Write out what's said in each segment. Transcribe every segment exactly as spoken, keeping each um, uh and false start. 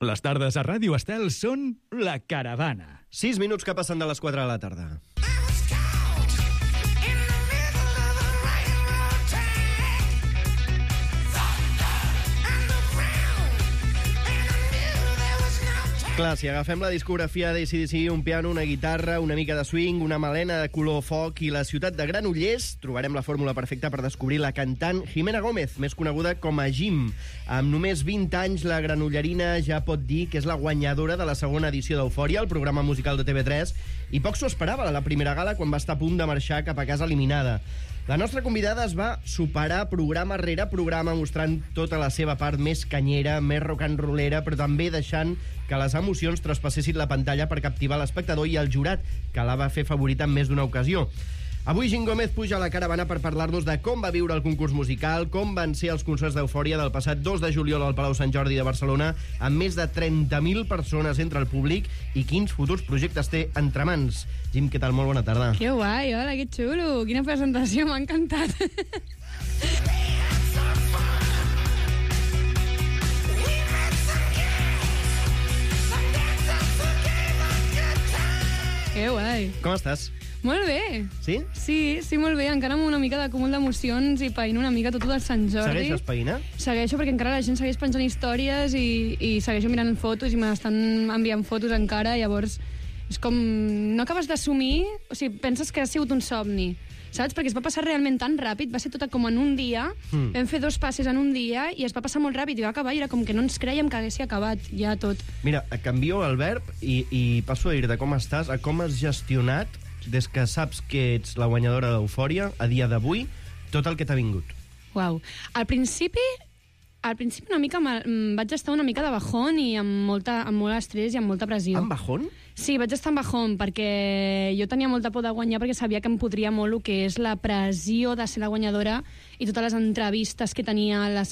Les tardes a Ràdio Estel són La Caravana. Sis minuts que passen de les quatre de la tarda. Clar, si agafem la discografia d'A C D C, un piano, una guitarra, una mica de swing, una melena de color foc i la ciutat de Granollers, trobarem la fórmula perfecta per descobrir la cantant Jimena Gómez, més coneguda com a Jim. Amb només vint anys, la granollerina ja pot dir que és la guanyadora de la segona edició d'Eufòria, el programa musical de T V tres, i poc s'ho esperava a la primera gala quan va estar a punt de marxar cap a casa eliminada. La nostra convidada es va superar programa rere programa mostrant tota la seva part més canyera, més rock and rollera, però també deixant que les emocions traspassessin la pantalla per captivar l'espectador i el jurat, que la va fer favorita en més d'una ocasió. Avui Jim Gómez puja a la caravana per parlar-nos de com va viure el concurs musical, com van ser els concerts d'Eufòria del passat dos de juliol al Palau Sant Jordi de Barcelona, amb més de trenta mil persones entre el públic, i quins futurs projectes té entre mans. Jim, què tal? Molt bona tarda. Que guai, hola, que xulo. Quina presentació, m'ha encantat. Que guai. Com estàs? Molt bé. Sí? Sí, sí, molt bé. Encara amb una mica d'acúmul d'emocions i païnt una mica tot del Sant Jordi. Segueixes païna? Segueixo, perquè encara la gent segueix penjant històries i, i segueixo mirant fotos i m'estan enviant fotos encara, llavors és com... No acabes d'assumir, o sigui, penses que ha sigut un somni, saps? Perquè es va passar realment tan ràpid, va ser tot com en un dia, mm. vam fer dos passes en un dia i es va passar molt ràpid i va acabar i era com que no ens creiem que haguessi acabat ja tot. Mira, canvio el verb i, i passo a dir de com estàs a com has gestionat des que saps que ets la guanyadora d'Eufòria, a dia d'avui, tot el que t'ha vingut. Uau. Al principi, al principi una mica vaig estar una mica de bajón i amb, molta, amb molt estrès i amb molta pressió. Amb bajón? Sí, vaig estar en bajón, perquè jo tenia molta por de guanyar perquè sabia que em podria molt el que és la pressió de ser la guanyadora i totes les entrevistes que tenia. Les...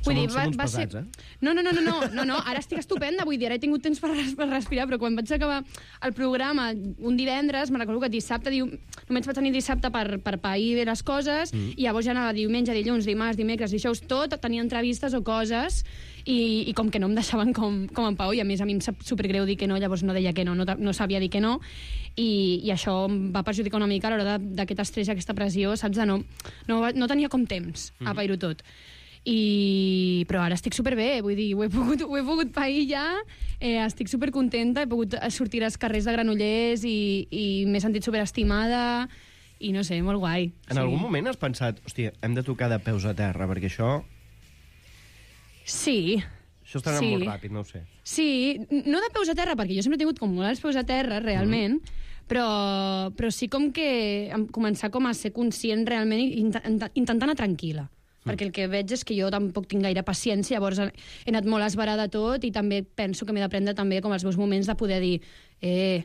Vull dir, va, va pesats, ser... eh? No, no, no, no, no, no, no, ara estic estupenda, vull dir, ara he tingut temps per, per respirar, però quan vaig acabar el programa un divendres, me'n recordo que dissabte, diu... només vaig tenir dissabte per, per pair bé les coses, mm. i llavors ja anava diumenge, dilluns, dimarts, dimecres, dijous, tot, tenia entrevistes o coses, i, i com que no em deixaven com, com en pau, i a més a mi em sap supergreu dir que no, llavors no deia que no, no, no sabia dir que no, i, i això em va perjudicar una mica a l'hora d'aquest estrès i aquesta pressió, saps? De no, no, no tenia com temps mm. a pair-ho tot. I... però ara estic superbé, vull dir, ho he pogut, ho he pogut pair ja, eh, estic supercontenta, he pogut sortir als carrers de Granollers i, i m'he sentit superestimada i no sé, molt guai. En sí. algun moment has pensat, hòstia, hem de tocar de peus a terra, perquè això... Sí. Això està anant sí. molt ràpid, no ho sé. Sí, no de peus a terra, perquè jo sempre he tingut com molt els peus a terra, realment, mm. però, però sí com que començar com a ser conscient realment i intentant anar tranquil·la. Mm. Perquè el que veig és que jo tampoc tinc gaire paciència, llavors he anat molt esverada tot i també penso que m'he d'aprendre també com els meus moments de poder dir eh,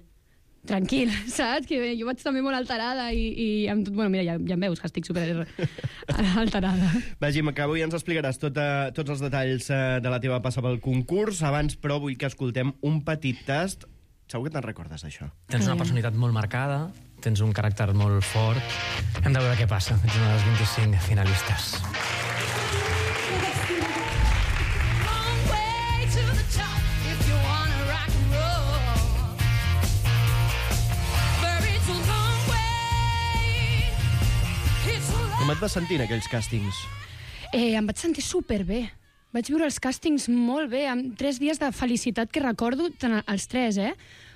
tranquil, saps? Que jo vaig també molt alterada i, i amb tot... Bueno, mira, ja, ja em veus que estic super alterada. Va, Jim, que avui ens explicaràs tot, uh, tots els detalls uh, de la teva passa pel concurs. Abans, però, vull que escoltem un petit tast. Segur que te'n recordes, d'això. Tens una personalitat molt marcada, tens un caràcter molt fort. Hem de veure què passa. Ets una de les vint-i-cinc finalistes. Com et vas sentir en aquells càstings? Eh, em vaig sentir superbé. Vaig viure els càstings molt bé, amb tres dies de felicitat que recordo, els tres, eh?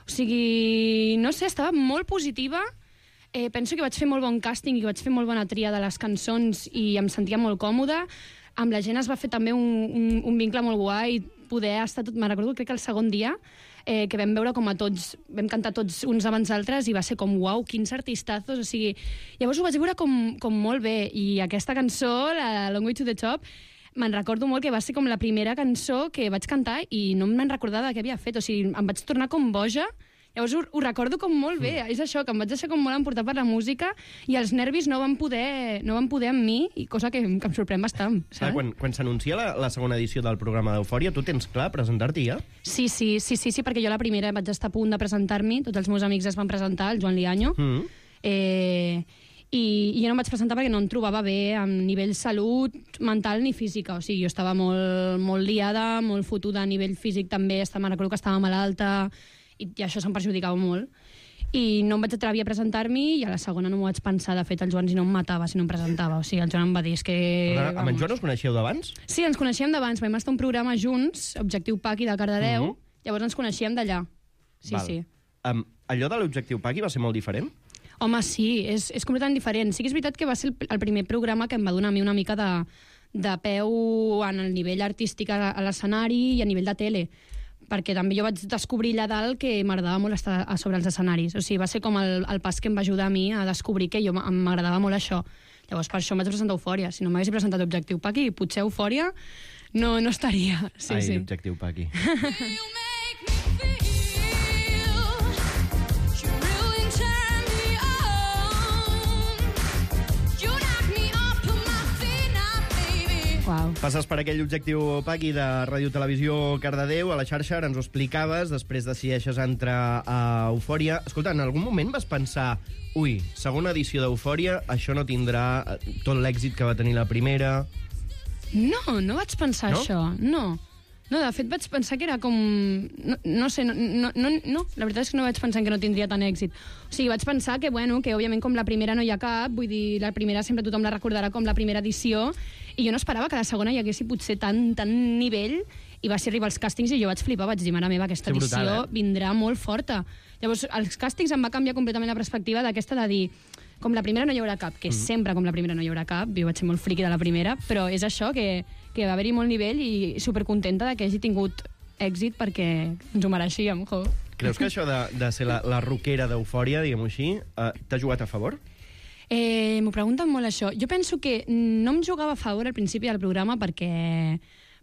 O sigui, no sé, estava molt positiva. Eh, penso que vaig fer molt bon càsting i que vaig fer molt bona tria de les cançons i em sentia molt còmoda. Amb la gent es va fer també un, un, un vincle molt guai, poder estar tot... Me'n recordo, crec que el segon dia, eh, que vam veure com a tots, vam cantar tots uns abans d'altres i va ser com, uau, quins artistazos, o sigui... Llavors ho vaig veure com, com molt bé, i aquesta cançó, la Long Way to the Top, me'n recordo molt que va ser com la primera cançó que vaig cantar i no me'n recordava què havia fet, o sigui, em vaig tornar com boja. Llavors ho, ho recordo com molt bé, mm. és això, que em vaig deixar com molt emportar per la música i els nervis no van poder, no van poder amb mi, i cosa que, que em sorprèn bastant, saps? Clar, quan, quan s'anuncia la, la segona edició del programa d'Eufòria, tu tens clar presentar-t'hi ja? Sí, sí, sí, sí, sí, perquè jo la primera vaig estar a punt de presentar-m'hi, tots els meus amics es van presentar, el Joan Liaño, mm. eh, i, i jo no em vaig presentar perquè no em trobava bé a nivell salut mental ni física, o sigui, jo estava molt, molt liada, molt fotuda a nivell físic també, estava, me'n recordo que estava malalta i, i això se'm perjudicava molt i no em vaig atrevir a presentar-m'hi i a la segona no m'ho vaig pensar. De fet, el Joan si no em matava, si no em presentava. O sigui, el Joan em va dir, és que... Però, amb en Joan us coneixeu d'abans? Sí, ens coneixíem d'abans. Vam estar un programa junts, Objectiu Paqui de Cardedeu, uh -huh. llavors ens coneixíem d'allà. Sí, Val. sí. Um, allò de l'Objectiu Paqui va ser molt diferent? Home, sí, és, és completament diferent. Sí que és veritat que va ser el, el primer programa que em va donar a mi una mica de, de peu en el nivell artístic a, a l'escenari i a nivell de tele, perquè també jo vaig descobrir allà dalt que m'agradava molt estar a sobre els escenaris. O sigui, va ser com el, el pas que em va ajudar a mi a descobrir que jo m'agradava molt això. Llavors, per això em vaig presentar Eufòria. Si no m'hagués presentat Objectiu Paqui, potser Eufòria no, no estaria. Sí, Ai, sí. Objectiu Paqui. Wow. Passes per aquell Objectiu Paqui de Ràdio Televisió Cardedeu, a la xarxa, ara ens ho explicaves, després decideixes entrar a Eufòria. Escolta, en algun moment vas pensar, ui, segona edició d'Eufòria, això no tindrà tot l'èxit que va tenir la primera? No, no vaig pensar No? això, no. No, de fet vaig pensar que era com... No, no sé, no, no, no, no, la veritat és que no vaig pensar que no tindria tant èxit. O sigui, vaig pensar que, bueno, que òbviament com la primera no hi ha cap, vull dir, la primera sempre tothom la recordarà com la primera edició, i jo no esperava que a la segona hi haguessi potser tant, tant nivell, i va ser arribar als càstings i jo vaig flipar, vaig dir, mare meva, aquesta Sí, brutal, edició eh? vindrà molt forta. Llavors, als càstings em va canviar completament la perspectiva d'aquesta de dir, com la primera no hi haurà cap, que mm. sempre com la primera no hi haurà cap, jo vaig ser molt friqui de la primera, però és això, que, que va haver-hi molt nivell i supercontenta de que hagi tingut èxit perquè ens ho mereixíem, jo. Creus que això de, de ser la, la rockera d'Eufòria, diguem-ho així, eh, t'ha jugat a favor? Eh, M'ho pregunten molt, això. Jo penso que no em jugava a favor al principi del programa perquè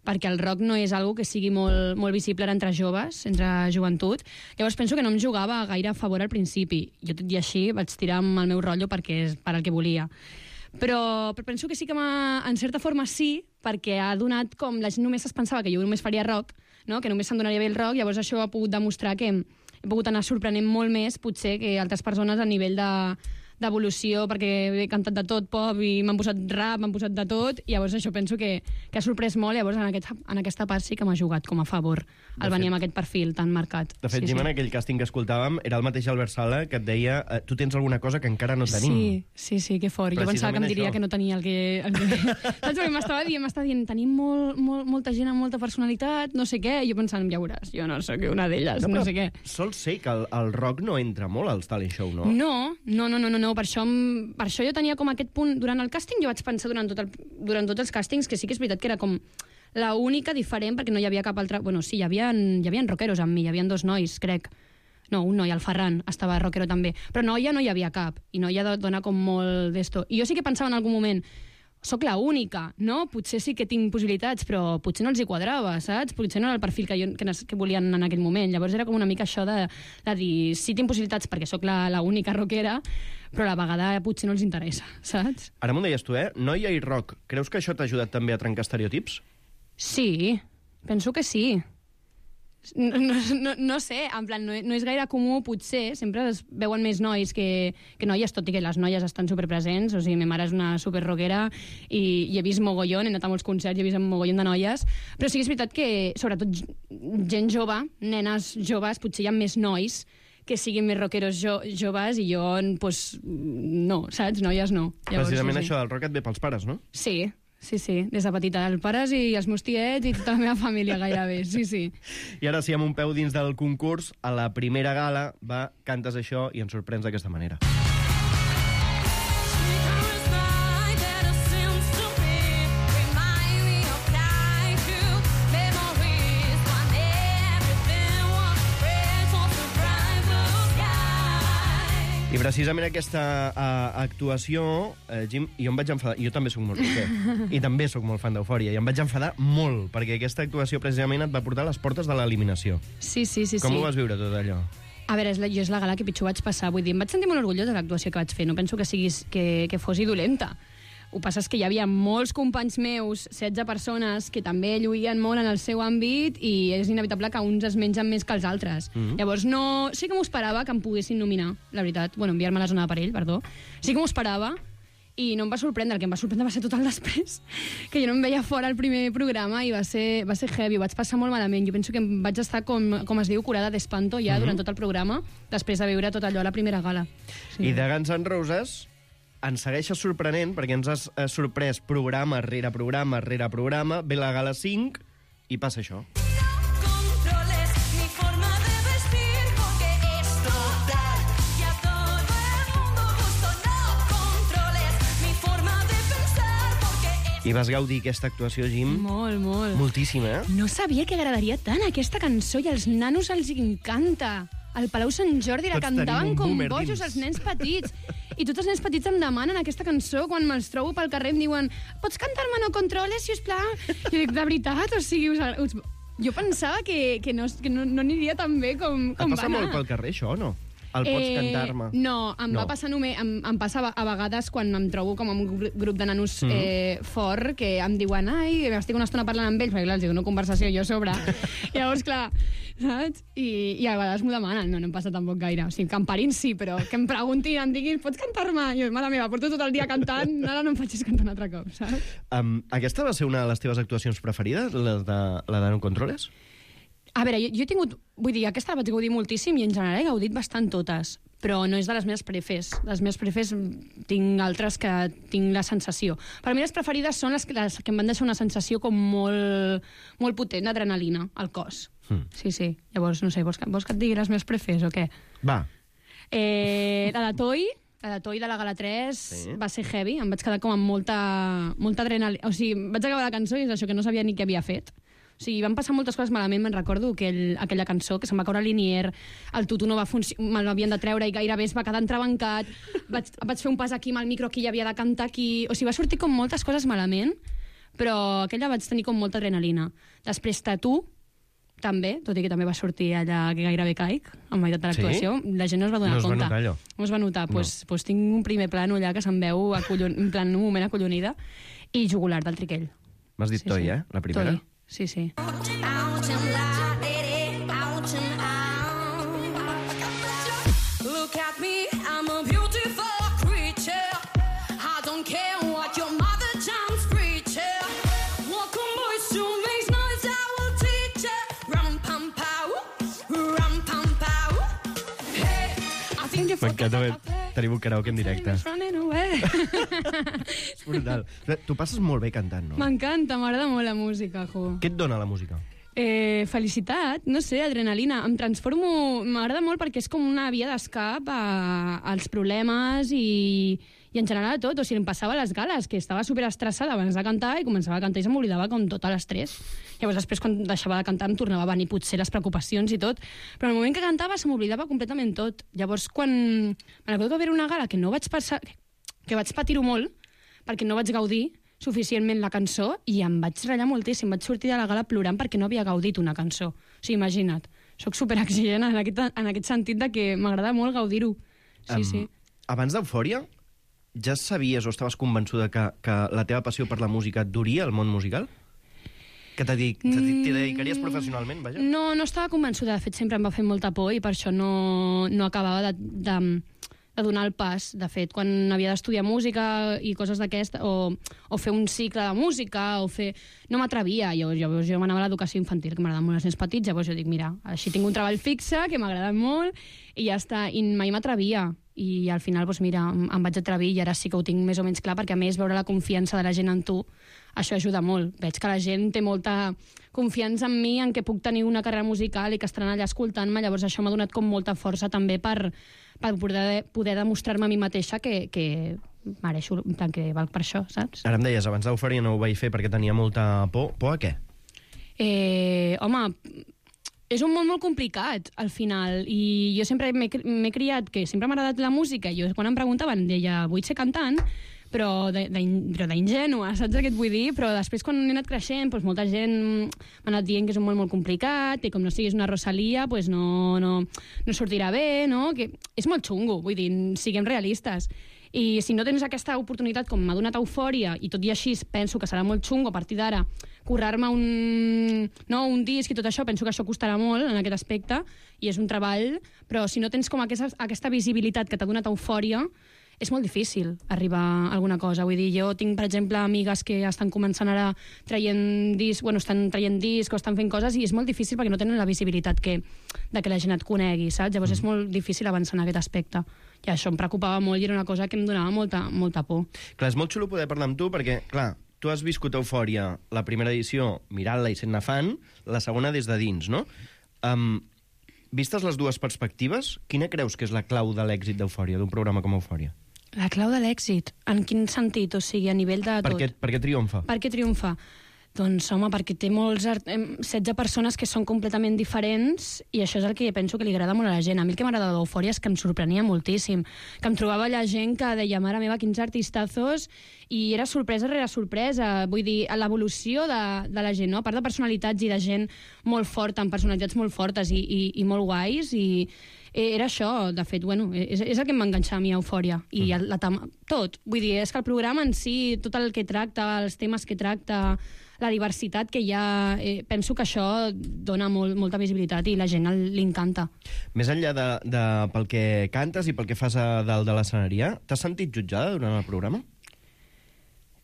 perquè el rock no és algo que sigui molt, molt visible entre joves, entre joventut. Llavors penso que no em jugava gaire a favor al principi. Jo, tot i així, vaig tirar amb el meu rotllo perquè és per al que volia. Però, però penso que sí que en certa forma sí, perquè ha donat com... La gent només es pensava que jo només faria rock, no? Que només se'm donaria bé el rock, llavors això ha pogut demostrar que he pogut anar sorprenent molt més, potser, que altres persones a nivell de d'evolució, perquè he cantat de tot, pop, i m'han posat rap, m'han posat de tot, i llavors això penso que, que ha sorprès molt, llavors en, aquest, en aquesta part sí que m'ha jugat com a favor el venir amb aquest perfil tan marcat. De fet, sí, Jim, sí. en aquell càsting que escoltàvem, era el mateix Albert Sala que et deia eh, tu tens alguna cosa que encara no tenim. Sí, sí, sí, que fort. Jo pensava que em diria això. Que no tenia el que... El que... Saps? Perquè m'estava dient, m'estava dient, tenim molt, molt, molta gent amb molta personalitat, no sé què, i jo pensant, ja veuràs, jo no sóc una d'elles, no, no sé què. Sol ser que el, el rock no entra molt als talent show, no? No, no, no, no, no, no. Per, això, per això jo tenia com aquest punt... Durant el càsting jo vaig pensar durant, tot el, durant tots els càstings que sí que és veritat que era com la única diferent, perquè no hi havia cap altra... Bueno, sí, hi havia, hi havia rockeros amb mi, hi havia dos nois, crec. No, un noi, el Ferran, estava rockero també. Però noia no hi havia cap, i noia dona com molt d'esto. I jo sí que pensava en algun moment, soc la única, no? Potser sí que tinc possibilitats, però potser no els hi quadrava, saps? Potser no era el perfil que, jo, que, que volien en aquell moment. Llavors era com una mica això de, de dir, sí tinc possibilitats perquè sóc la, la única rockera, però a la vegada potser no els interessa, saps? Ara m'ho deies tu, eh? Noia i rock. Creus que això t'ha ajudat també a trencar estereotips? Sí, penso que sí. No, no, no, no sé, en plan, no, no és gaire comú, potser, sempre es veuen més nois que, que noies, tot i que les noies estan superpresents, o sigui, ma mare és una superroquera i, i he vist mogollon, he anat a molts concerts i he vist un mogollon de noies, però sí que és veritat que, sobretot gent jove, nenes joves, potser hi ha més nois que siguin més rockeros jo, joves i jo, pues, no, saps? Noies no. Llavors, Precisament sí, sí. això del rock et ve pels pares, no? Sí, sí, sí, des de petita. Els pares i els meus tiets i tota la meva família gairebé, sí, sí. I ara sí, amb un peu dins del concurs, a la primera gala, va, cantes això i ens sorprens d'aquesta manera. I precisament aquesta uh, actuació, uh, Jim, jo em vaig enfadar, jo també sóc molt rocker, i també sóc molt fan d'Eufòria, i em vaig enfadar molt, perquè aquesta actuació precisament et va portar a les portes de l'eliminació. Sí, sí, sí. Com sí. ho vas viure tot allò? A veure, és la, jo és la gala que pitjor vaig passar, vull dir, em vaig sentir molt orgullosa de l'actuació que vaig fer, no penso que, siguis, que, que fos dolenta. Ho passa és que hi havia molts companys meus, setze persones, que també lluïen molt en el seu àmbit i és inevitable que uns es mengen més que els altres. Mm-hmm. Llavors, no... sí que m'ho esperava que em poguessin nominar, la veritat. Bueno, enviar-me a la zona de perill, perdó. Sí que m'ho esperava i no em va sorprendre. El que em va sorprendre va ser tot el després, que jo no em veia fora el primer programa i va ser, va ser heavy, ho vaig passar molt malament. Jo penso que em vaig estar, com, com es diu, curada d'espanto ja mm-hmm. durant tot el programa, després de veure tot allò a la primera gala. Sí. I de Guns N' Roses ens segueixes sorprenent perquè ens has eh, sorprès programa rere programa rere programa, ve la gala cinc i passa això. I vas gaudir aquesta actuació, Jim? Molt, molt. Moltíssim, eh? No sabia que agradaria tant aquesta cançó i als nanos els encanta. Al Palau Sant Jordi la Tots cantaven tenim un com boomer bojos dins. els nens petits. I tots els nens petits em demanen aquesta cançó quan me'ls trobo pel carrer em diuen pots cantar-me No Controles, sisplau? Jo dic, de veritat? O sigui, us, us, jo pensava que, que, no, que no, no aniria tan bé com, com Et va passa anar. molt pel carrer, això, o no? El pots Eh, cantar-me? No, em No. va passar només... Em, em passa a vegades quan em trobo com amb un gru- grup de nanos Mhm. eh, fort que em diuen ai, estic una estona parlant amb ells, perquè clar, els diu una conversació jo a sobre. I llavors, clar, saps? I, i a vegades m'ho demanen, no, no em passa tampoc gaire. O sigui, que em parin sí, però que em preguntin, em diguin, pots cantar-me? Jo, mare meva, porto tot el dia cantant, ara no em facis cantar un altre cop, saps? Um, aquesta va ser una de les teves actuacions preferides, la de, la de No Controles? A veure, jo, jo he tingut... Vull dir, aquesta la vaig gaudir moltíssim i en general he gaudit bastant totes, però no és de les meves prefes. Les meves prefes tinc altres que tinc la sensació. Per mi les preferides són les que, les que em van deixar una sensació com molt, molt potent d'adrenalina al cos. Mm. Sí, sí. Llavors, no sé, vols que, vols que et digui les meves prefes o què? Va. Eh, la de Toy, la de Toy de la Gala tres Sí. va ser heavy, em vaig quedar com amb molta, molta adrenalina. O sigui, vaig acabar la cançó i és això, que no sabia ni què havia fet. O sigui, van passar moltes coses malament, me'n recordo aquell, aquella cançó, que se'm va caure el linier, el tutu no va funcionar, me'l havien de treure i gairebé es va quedar entrebancat, vaig, vaig fer un pas aquí amb el micro, aquí hi havia de cantar aquí... O sigui, va sortir com moltes coses malament, però aquella vaig tenir com molta adrenalina. Després Tatu, també, tot i que també va sortir allà que gairebé caic, en meitat de l'actuació. Sí? La gent no es va donar No es va compte. notar allò? No es va notar. Doncs no. pues, pues tinc un primer plano allà que se'm veu acollon... en plan un moment acollonida, i Jugular del Triquell. M'has dit Sí, Toy, sí. eh? La primera? Toy. Sí, sí. Look at me, I'm a beautiful creature. I don't care what your mother John's preacher. Welcome boys to make noise, I will teach ya. Rum pum pow, rum pum pow. Hey, I think you're M'encanta haver... Tenim un karaoke en directe. Running away. És brutal. Tu passes molt bé cantant, no? M'encanta, m'agrada molt la música, jo. Què et dona la música? Eh, felicitat, no sé, adrenalina. Em transformo... M'agrada molt perquè és com una via d'escap a, als problemes i, i en general a tot. O sigui, em passava a les gales, que estava superestressada abans de cantar i començava a cantar i se m'oblidava com tot l'estrès. Llavors després, quan deixava de cantar, em tornava a venir potser les preocupacions i tot. Però en el moment que cantava se m'oblidava completament tot. Llavors, quan... Me recordo que va haver una gala que no vaig passar... que vaig patir-ho molt, perquè no vaig gaudir suficientment la cançó i em vaig ratllar moltíssim. Vaig sortir de la gala plorant perquè no havia gaudit una cançó. O sigui, imagina't. Soc superexigent en aquest, en aquest sentit de que m'agrada molt gaudir-ho. Sí, Em, sí. Abans d'Eufòria, ja sabies o estaves convençuda que, que la teva passió per la música et duria al món musical? Que t'hi dedic, t'hi dedicaries professionalment, vaja? No, no estava convençuda. De fet, sempre em va fer molta por i per això no, no acabava de, de, de donar el pas. De fet, quan havia d'estudiar música i coses d'aquesta, o, o fer un cicle de música, o fer... No m'atrevia. Jo, jo, jo m'anava a l'educació infantil, que m'agraden molt els nens petits, llavors jo dic, mira, així tinc un treball fixe, que m'agrada molt, i ja està. I mai m'atrevia. I al final, doncs mira, em, em vaig atrevir i ara sí que ho tinc més o menys clar, perquè a més veure la confiança de la gent en tu, això ajuda molt. Veig que la gent té molta confiança en mi, en què puc tenir una carrera musical i que estaran allà escoltant-me, llavors això m'ha donat com molta força també per, per poder, poder demostrar-me a mi mateixa que, que mereixo, en plan, que valc per això, saps? Ara em deies, abans d'Eufòria no ho vaig fer perquè tenia molta por. Por a què? Eh, home, és un món molt complicat, al final, i jo sempre m'he m'he criat que sempre m'ha agradat la música, i jo quan em preguntaven deia, vull ser cantant, però d'ingènua, saps què et vull dir? Però després, quan he anat creixent, doncs molta gent m'ha anat dient que és un món molt complicat, i com no siguis una Rosalia, doncs no, no, no sortirà bé, no? Que és molt xungo, vull dir, siguem realistes. I si no tens aquesta oportunitat com m'ha donat Eufòria, i tot i així penso que serà molt xungo a partir d'ara currar-me un, no, un disc i tot això, penso que això costarà molt en aquest aspecte, i és un treball, però si no tens com aquesta, aquesta visibilitat que t'ha donat Eufòria, és molt difícil arribar a alguna cosa. Vull dir, jo tinc, per exemple, amigues que estan començant ara traient disc, bueno, estan traient disc o estan fent coses, i és molt difícil perquè no tenen la visibilitat que, de que la gent et conegui, saps? Llavors mm. és molt difícil avançar en aquest aspecte. I això em preocupava molt i era una cosa que em donava molta, molta por. Clar, és molt xulo poder parlar amb tu perquè, clar, tu has viscut Eufòria, la primera edició, mirant-la i sent-ne fan, la segona des de dins, no? Um, vistes les dues perspectives, quina creus que és la clau de l'èxit d'Eufòria, d'un programa com Eufòria? La clau de l'èxit? En quin sentit? O sigui, a nivell de tot? Per què, per què triomfa? Per què triomfa? Doncs, home, perquè té molts art... setze persones que són completament diferents, i això és el que penso que li agrada molt a la gent. A mi el que m'agrada d'Eufòria és que em sorprenia moltíssim, que em trobava la gent que deia, mare meva, quins artistazos, i era sorpresa rere sorpresa. Vull dir, l'evolució de, de la gent, no? A part de personalitats i de gent molt forta, amb personalitats molt fortes i, i, i molt guais, i era això, de fet, bueno, és, és el que em va enganxar a mi a Eufòria, i mm. la, la, tot. Vull dir, és que el programa en si, tot el que tracta, els temes que tracta, la diversitat que hi ha, eh, penso que això dona molt, molta visibilitat i la gent li encanta. Més enllà de, de pel que cantes i pel que fas a dalt de l'escenari, t'has sentit jutjada durant el programa?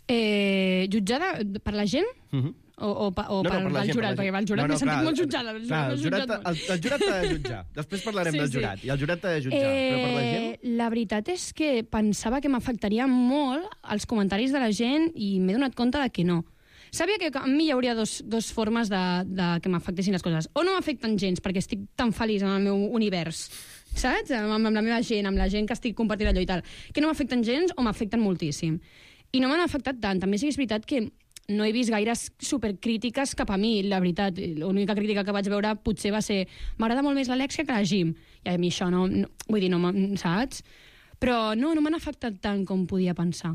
Eh, jutjada per la gent? Mhm. Mm O, o, o no, no, per, per el gent, jurat, per perquè el jurat no, no, m'he sentit clar, molt jutjada. El clar, el jurat, jutjat el, el jurat t'ha de jutjar. Després parlarem sí, del jurat. Sí. I el jurat t'ha de jutjar. Eh, però per la gent... La veritat és que pensava que m'afectaria molt els comentaris de la gent i m'he donat compte de que no. Sabia que a mi hi hauria dos, dos formes de, de que m'afectessin les coses. O no m'afecten gens, perquè estic tan feliç en el meu univers, saps? Amb, amb la meva gent, amb la gent que estic compartint allò i tal. Que no m'afecten gens o m'afecten moltíssim. I no m'han afectat tant. També sí que és veritat que no he vist gaires supercrítiques cap a mi, la veritat. L'única crítica que vaig veure potser va ser m'agrada molt més l'Alexia que la Jim. I a mi això no... no vull dir, no, saps? Però no, no m'han afectat tant com podia pensar.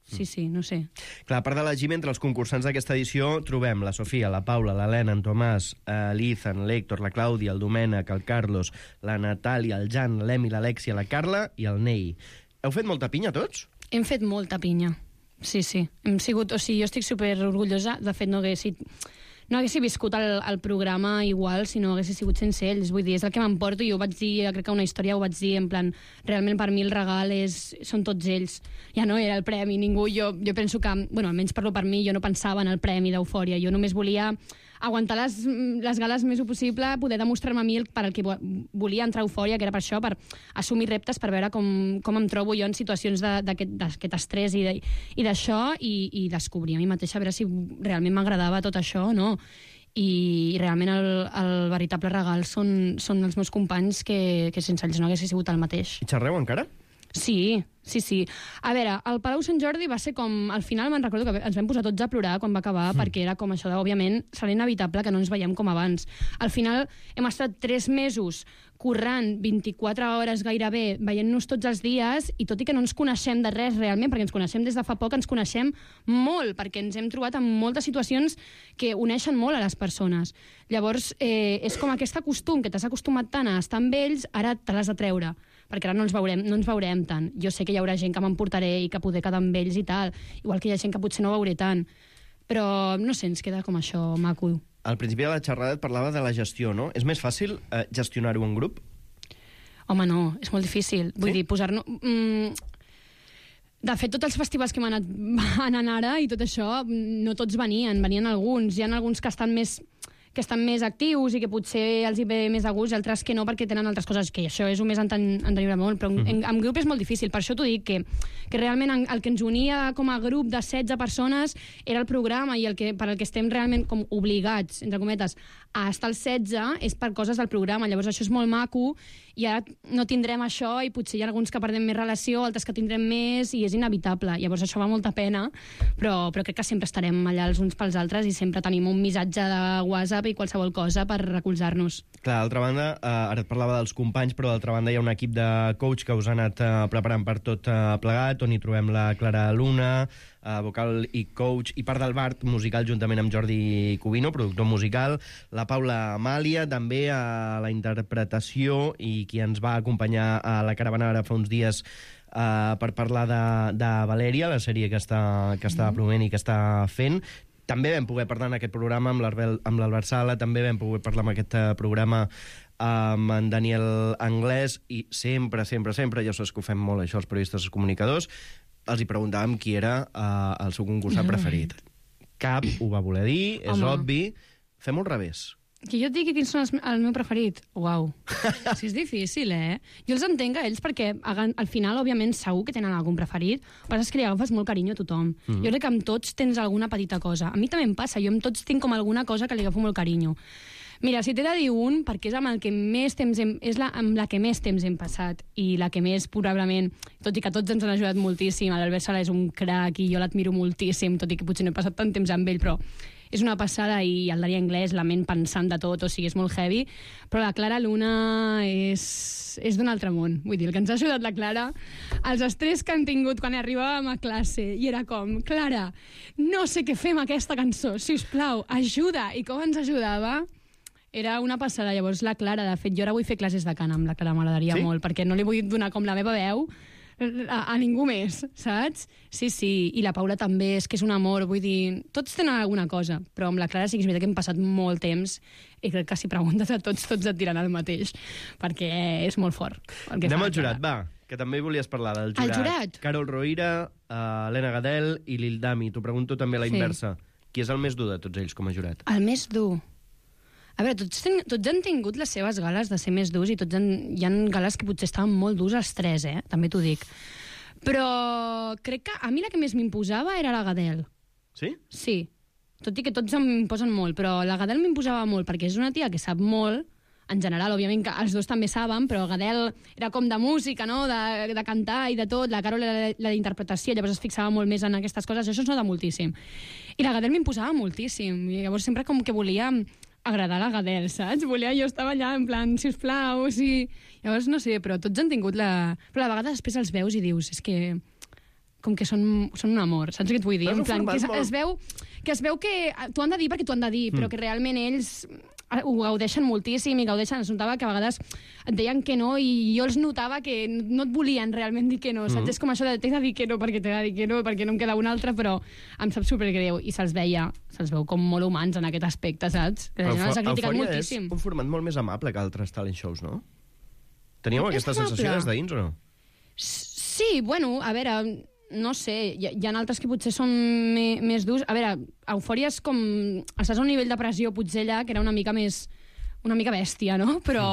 Sí, sí, no sé. Clar, a part de la Jim, entre els concursants d'aquesta edició trobem la Sofia, la Paula, l'Helena, en Tomàs, l'Ethan, l'Héctor, la Clàudia, el Domènec, el Carlos, la Natàlia, el Jan, l'Emi, l'Alexia, la Carla i el Nei. Heu fet molta pinya, tots? Hem fet molta pinya. Sí, sí. Hem sigut, o sigui, jo estic super orgullosa. De fet, no haguessi, no haguessi viscut el, el programa igual si no haguessi sigut sense ells. Vull dir, és el que m'emporto. Jo ho vaig dir, crec que una història ho vaig dir, en plan, realment per mi el regal és, són tots ells. Ja no era el premi, ningú. Jo, jo penso que, bueno, almenys parlo per mi, jo no pensava en el premi d'Eufòria. Jo només volia aguantar les, les gales més possible, poder demostrar-me a mi el, per al que volia entrar a Eufòria, que era per això, per assumir reptes, per veure com, com em trobo jo en situacions d'aquest estrès i d'això, i, i descobrir a mi mateixa, a veure si realment m'agradava tot això o no. I, i realment el, el veritable regal són, són els meus companys, que, que sense ells no hagués sigut el mateix. I xerreu encara? Sí, sí, sí. A veure, el Palau Sant Jordi va ser com... Al final me'n recordo que ens vam posar tots a plorar quan va acabar, mm. perquè era com això de, òbviament, serà inevitable que no ens veiem com abans. Al final hem estat tres mesos currant vint-i-quatre hores gairebé, veient-nos tots els dies, i tot i que no ens coneixem de res realment, perquè ens coneixem des de fa poc, ens coneixem molt, perquè ens hem trobat en moltes situacions que uneixen molt a les persones. Llavors, eh, és com aquest costum que t'has acostumat tant a estar amb ells, ara te l'has de treure, perquè ara no ens veurem, no ens veurem tant. Jo sé que hi haurà gent que m'emportaré i que poder quedar amb ells i tal, igual que hi ha gent que potser no veuré tant, però no sé, ens queda com això maco. Al principi de la xerrada et parlava de la gestió, no? És més fàcil eh, gestionar-ho en grup? Home, no, és molt difícil. Vull sí? dir, posar-nos... Mm, de fet, tots els festivals que m'han anat anant ara i tot això, no tots venien, venien alguns. Hi ha alguns que estan més... que estan més actius i que potser els hi ve més de gust, i altres que no perquè tenen altres coses, que això és un més entenir molt, però en, en, en grup és molt difícil. Per això t'ho dic, que, que realment el que ens unia com a grup de setze persones era el programa, i el que, per al que estem realment com obligats, entre cometes, a estar al setze és per coses del programa. Llavors això és molt maco, i ara no tindrem això, i potser hi ha alguns que perdem més relació, altres que tindrem més, i és inevitable. Llavors això va molta pena, però, però crec que sempre estarem allà els uns pels altres i sempre tenim un missatge de WhatsApp WhatsApp i qualsevol cosa per recolzar-nos. Clar, d'altra banda, eh, ara et parlava dels companys, però d'altra banda hi ha un equip de coach que us ha anat eh, preparant per tot eh, plegat, on hi trobem la Clara Luna, eh, vocal i coach, i part del Bart musical juntament amb Jordi Cubino, productor musical, la Paula Amàlia, també a la interpretació, i qui ens va acompanyar a la caravana ara fa uns dies uh, per parlar de, de Valèria, la sèrie que està, que està promovent i que està fent. També vam poder parlar en aquest programa amb l'Albert Sala, també vam poder parlar en aquest uh, programa amb en Daniel Anglès, i sempre, sempre, sempre, ja saps que ho fem molt això els periodistes, els comunicadors, els hi preguntàvem qui era uh, el seu concursant preferit. Cap ho va voler dir, és Home. obvi. Fem-ho al revés. Que jo et digui quins són els, el meu preferit. Uau. Sí, és difícil, eh? Jo els entenc a ells perquè al final, òbviament, segur que tenen algun preferit, però és que li agafes molt carinyo a tothom. Mm. Jo crec que amb tots tens alguna petita cosa. A mi també em passa, jo amb tots tinc com alguna cosa que li agafo molt carinyo. Mira, si t'he de dir un, perquè és amb el que més temps hem, és la, amb la que més temps hem passat i la que més, probablement, tot i que tots ens han ajudat moltíssim, l'Albert Sala és un crac i jo l'admiro moltíssim, tot i que potser no he passat tant temps amb ell, però és una passada, i el Dani Anglès, la ment pensant de tot, o sigui, és molt heavy, però la Clara Luna és, és d'un altre món. Vull dir, el que ens ha ajudat la Clara, els estrès que han tingut quan arribàvem a classe, i era com, Clara, no sé què fer amb aquesta cançó, sisplau, ajuda, i com ens ajudava, era una passada. Llavors la Clara, de fet, jo ara vull fer classes de cant amb la Clara, m'agradaria Sí? molt, perquè no li vull donar com la meva veu a, a ningú més, saps? Sí, sí, i la Paula també, és que és un amor, vull dir, tots tenen alguna cosa, però amb la Clara sí que és veritat que hem passat molt temps, i crec que si preguntes a tots, tots et diran el mateix, perquè és molt fort. El que Anem fa al la jurat, Clara. va, que també volies parlar del jurat. El jurat? Carol Roira, uh, Helena Gadel i Lil Dami. T'ho pregunto també a la Sí. inversa. Qui és el més dur de tots ells com a jurat? El més dur. A veure, tots, ten, tots han tingut les seves gales de ser més durs, i tots han, hi ha gales que potser estaven molt durs els tres, eh? També t'ho dic. Però crec que a mi la que més m'imposava era la Gadel. Sí? Sí. Tot i que tots m'imposen molt, però la Gadel m'imposava molt, perquè és una tia que sap molt, en general, òbviament, que els dos també saben, però Gadel era com de música, no?, de, de cantar i de tot, la Carol era la d'interpretació, llavors es fixava molt més en aquestes coses, això es nota moltíssim. I la Gadel m'imposava moltíssim, i llavors sempre com que volia agradar la Gadel, saps? Volia, jo estava allà en plan, sisplau, sí... Llavors, no sé, però tots han tingut la... Però a la vegada després els veus i dius, és que... com que són, són un amor, saps què et vull dir? Però és En un plan, que es, format molt- es veu que es veu que t'ho han de dir perquè t'ho han de dir, però que realment ells ho gaudeixen moltíssim i gaudeixen, es notava que a vegades et deien que no i jo els notava que no et volien realment dir que no, saps? És com això de t'he de dir que no perquè t'he de dir que no, perquè no em queda un altre, però em sap supergreu, i se'ls veia, se'ls veu com molt humans en aquest aspecte, saps? Que la gent els ha criticat Eufòria moltíssim. és un format molt més amable que altres talent shows, no? Teníeu És aquesta amable. sensació des de dins o no? Sí, bueno, a veure, no sé, hi, hi ha altres que potser són me, més durs. A veure, Eufòria és com... Estàs a un nivell de pressió, potser allà, que era una mica més... una mica bèstia, no? Però...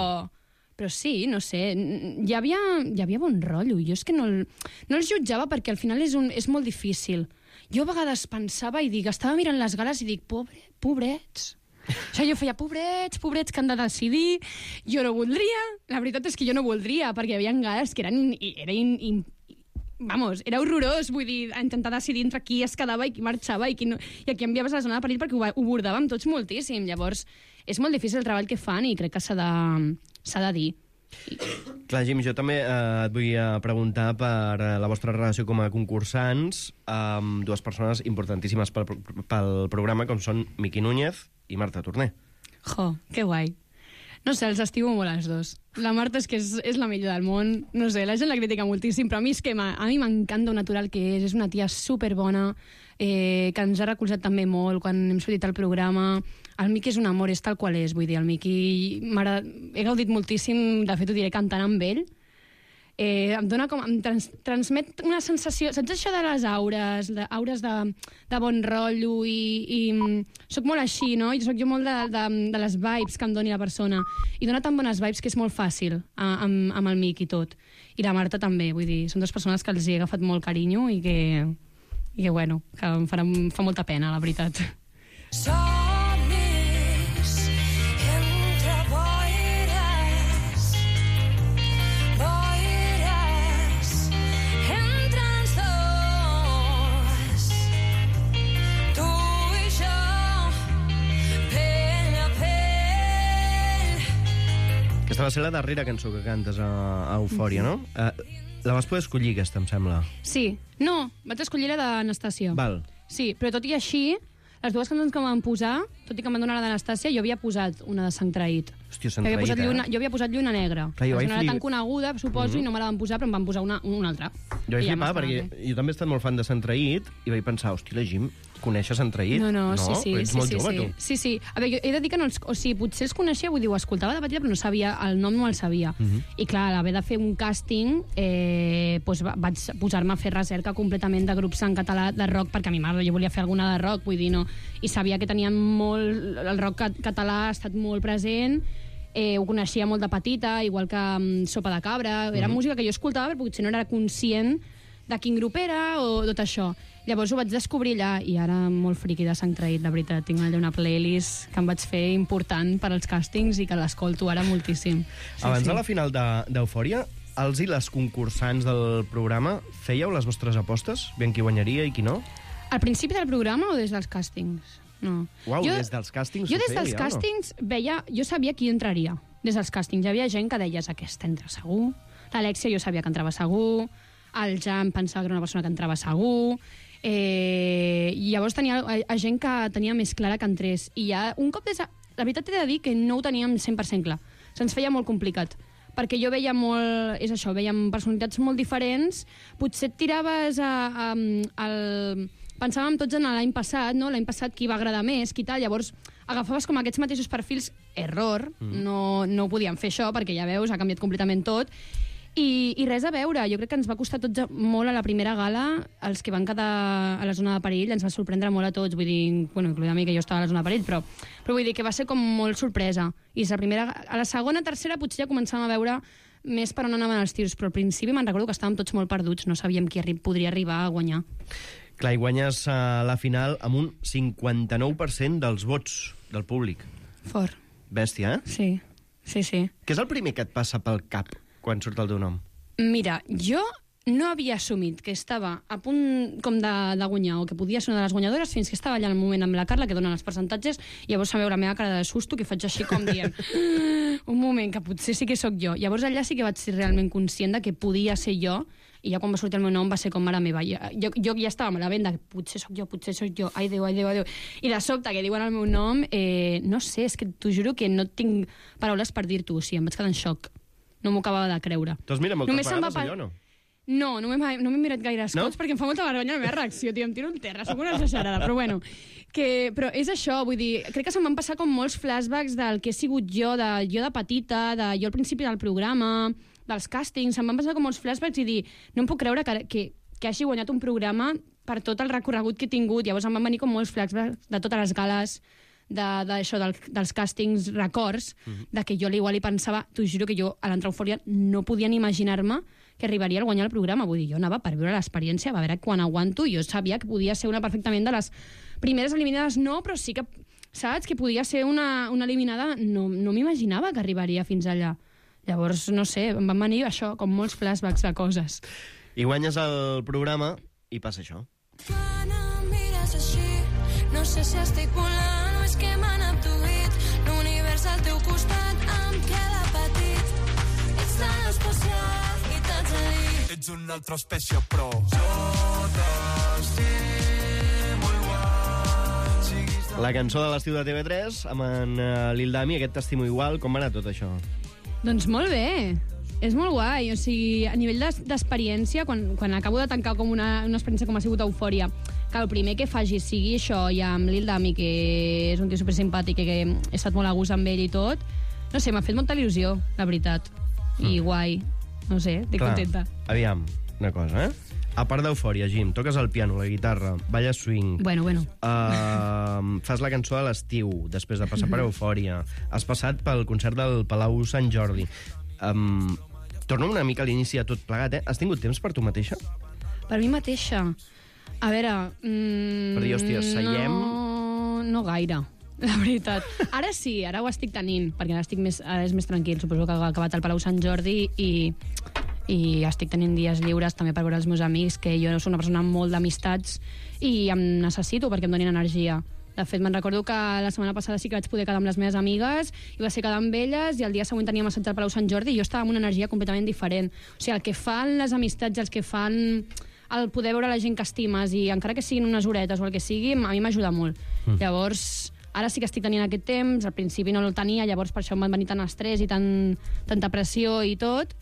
Però sí, no sé, hi havia, hi havia bon rotllo. Jo és que no, el- no els jutjava perquè al final és, un, és molt difícil. Jo a vegades pensava i dic, estava mirant les gales i dic, pobre, pobrets. O sigui, jo feia, pobrets, pobrets que han de decidir, jo no voldria. La veritat és que jo no voldria, perquè hi havia gales que eren... i- Era in, in, vamos, era horrorós, vull dir, intentar decidir entre qui es quedava i qui marxava i qui no, i a qui enviaves a la zona de perill, perquè ho, va- ho bordàvem tots moltíssim. Llavors, és molt difícil el treball que fan i crec que s'ha de, s'ha de dir. Clar, Jim, jo també eh, et vull eh, preguntar per eh, la vostra relació com a concursants amb dues persones importantíssimes pel, pel programa, com són Miqui Núñez i Marta Torner. Jo, que guai. No sé, els estimo molt els dos. La Marta és que és, és la millor del món. No sé, la gent la critica moltíssim, però a mi és que a mi m'encanta un natural que és. És una tia superbona, eh, que ens ha recolzat també molt quan hem sortit al programa. El Miqui és un amor, és tal qual és. Vull dir, el Miqui... m'agrada- He gaudit moltíssim, de fet ho diré, cantant amb ell. Eh, em dona com... Em trans, transmet una sensació... Saps això de les aures? De, aures de, de bon rotllo i... i soc molt així, no? I soc jo molt de, de, de les vibes que em doni la persona. I dona tan bones vibes que és molt fàcil a, amb, amb el Miqui i tot. I la Marta també, vull dir, són dues persones que els hi he agafat molt carinyo i que, i que bueno, que em farà, em fa molta pena, la veritat. Somnis entre boires, boires entre els dos, tu i jo, pell a pell. Aquesta va ser la darrera cançó que cantes a, a Eufòria, no? Uh, la vas poder escollir, aquesta, em sembla. Sí. No, vaig escollir la d'Anastàcia. Val. Sí, però tot i així, les dues cançons que em van posar, tot i que em van donar la d'Anastàcia, jo havia posat una de Sant Traït. Hòstia, Sant Jo havia Traït, posat eh? lluna, jo havia posat Lluna Negra. Clar, jo no vaig era flip- tan coneguda, suposo, i no me la van posar, però em van posar una, una altra. Jo vaig I ja flipar m'estava perquè bé. jo també he estat molt fan de Sant Traït i vaig pensar, hòstia, la Jim, coneixes Sant Traït? No, no, sí, sí. Però ets sí, molt sí, jove, sí. tu. Sí, sí. A veure, jo he de dir que no els... O sigui, potser els coneixia, vull dir, ho escoltava de petita, però no sabia, el nom no el sabia. Mhm. I clar, a l'haver de fer un càsting, eh, doncs va- vaig posar-me a fer recerca completament de grups en català de rock, perquè a mi m'agrada, jo volia fer alguna de rock, vull dir, no. I sabia que tenien molt... El rock ca- català ha estat molt present, eh, ho coneixia molt de petita, igual que um, Sopa de Cabra, era Mhm. música que jo escoltava, però potser no era conscient de quin grup era o tot això. Llavors ho vaig descobrir allà i ara molt friqui de Sant Traït, la veritat. Tinc allà una playlist que em vaig fer important per als càstings i que l'escolto ara moltíssim. Sí, Abans sí. de la final de- d'Eufòria, els i les concursants del programa fèieu les vostres apostes? Ben qui guanyaria i qui no? Al principi del programa o des dels càstings? No. Uau, des dels càstings Jo ho des fèieu dels ja, o no? càstings veia... Jo sabia qui entraria. Des dels càstings hi havia gent que deies aquesta entra segur. L'Alexia jo sabia que entrava segur. El Jan pensava que era una persona que entrava segur. Eh, I llavors tenia a, a gent que tenia més clara que entrés. I ja, un cop des de... La veritat he de dir que no ho teníem cent per cent clar. Se'ns feia molt complicat. Perquè jo veia molt... És això, veiem personalitats molt diferents. Potser et tiraves a... a, al... Pensàvem tots en l'any passat, no? L'any passat qui va agradar més, qui tal. Llavors agafaves com aquests mateixos perfils. Error. Mm. No, no ho podíem fer això, perquè ja veus, ha canviat completament tot. I, I res a veure, jo crec que ens va costar tots molt a la primera gala, els que van quedar a la zona de perill, ens va sorprendre molt a tots, vull dir, bueno, incloent a mi que jo estava a la zona de perill, però, però vull dir que va ser com molt sorpresa. I la primera, a la segona, tercera, potser ja començàvem a veure més per on anaven els tirs, però al principi me'n recordo que estàvem tots molt perduts, no sabíem qui arri podria arribar a guanyar. Clar, i guanyes uh, la final amb un cinquanta-nou per cent dels vots del públic. Fort. Bèstia, eh? Sí, sí, sí. Què és el primer que et passa pel cap quan surt el teu nom? Mira, jo no havia assumit que estava a punt com de, de guanyar o que podia ser una de les guanyadores fins que estava allà al moment amb la Carla que donen els percentatges i llavors em veu la meva cara de susto que faig així com dient un moment, que potser sí que sóc jo. Llavors allà sí que vaig ser realment conscient de que podia ser jo i ja quan va sortir el meu nom va ser com mare meva. Jo, jo, jo ja estava amb la venda, potser sóc jo, potser sóc jo, ai Déu, ai Déu, ai Déu. I de sobte que diuen el meu nom, eh, no sé, és que t'ho juro que no tinc paraules per dir-t'ho, o sigui, em vaig quedar en xoc. No m'ho acabava de creure. Tu has mirat moltes Només se'm vegades va pa- allò, no? No, no m'he no m'he mirat gaire escots, No? no? Perquè em fa molta vergonya la meva reacció, tio, em tiro en terra, sóc una exagerada, però bueno. Que, però és això, vull dir, crec que se'm van passar com molts flashbacks del que he sigut jo, de jo de petita, de jo al principi del programa, dels càstings, se'm van passar com molts flashbacks i dir, no em puc creure que, que, que hagi guanyat un programa per tot el recorregut que he tingut. Llavors em van venir com molts flashbacks de totes les gales, de, de això, del, dels càstings, records, mm-hmm. de que jo igual hi pensava, t'ho juro que jo a l'entrar a Eufòria no podia ni imaginar-me que arribaria a guanyar el programa. Vull dir, jo anava per veure l'experiència, a veure quan aguanto, jo sabia que podia ser una perfectament de les primeres eliminades, no, però sí que, saps, que podia ser una, una eliminada, no, no m'imaginava que arribaria fins allà. Llavors, no sé, em van venir això, com molts flashbacks de coses. I guanyes el programa i passa això. Quan em mires així, no sé si estic volant o és que m'han abduït. L'univers al teu costat em queda petit. Ets tan especial i tan feliç. Ets una altra espècie, però jo t'estimo igual. Siguis La cançó de l'estiu de T V tres amb en uh, Lil Dami, aquest t'estimo igual. Com va anar tot això? Doncs molt bé, és molt guai, o sigui, a nivell d'es- d'experiència, quan, quan acabo de tancar com una, una experiència com ha sigut Eufòria, que el primer que faci sigui això, i amb Lil Dami, que és un tio supersimpàtic, que, que he estat molt a gust amb ell i tot, no sé, m'ha fet molta il·lusió, la veritat, i Mm. guai, no sé, estic Clar, contenta. Aviam, una cosa, eh? A part d'Eufòria, Jim, toques el piano, la guitarra, balles swing, Bueno, bueno, uh, fas la cançó de l'estiu, després de passar per Eufòria, has passat pel concert del Palau Sant Jordi. Um, torno una mica a l'inici de tot plegat, eh? Has tingut temps per tu mateixa? per mi mateixa, a veure... Mm, Per dir, hòstia, seiem- No, no gaire, la veritat. Ara sí, ara ho estic tenint, perquè ara, estic més, ara és més tranquil. Suposo que ha acabat el Palau Sant Jordi i, i estic tenint dies lliures també per veure els meus amics, que jo soc una persona amb molt d'amistats i em necessito perquè em donin energia. De fet, me'n recordo que la setmana passada sí que vaig poder quedar amb les meves amigues i va ser quedar amb elles i el dia següent teníem assaig al Palau Sant Jordi i jo estava amb una energia completament diferent. O sigui, el que fan les amistats, el que fan el poder veure la gent que estimes i encara que siguin unes horetes o el que sigui, a mi m'ajuda molt. Mm. Llavors, ara sí que estic tenint aquest temps, al principi no el tenia, llavors per això em van venir tant estrès i tant, tanta pressió i tot,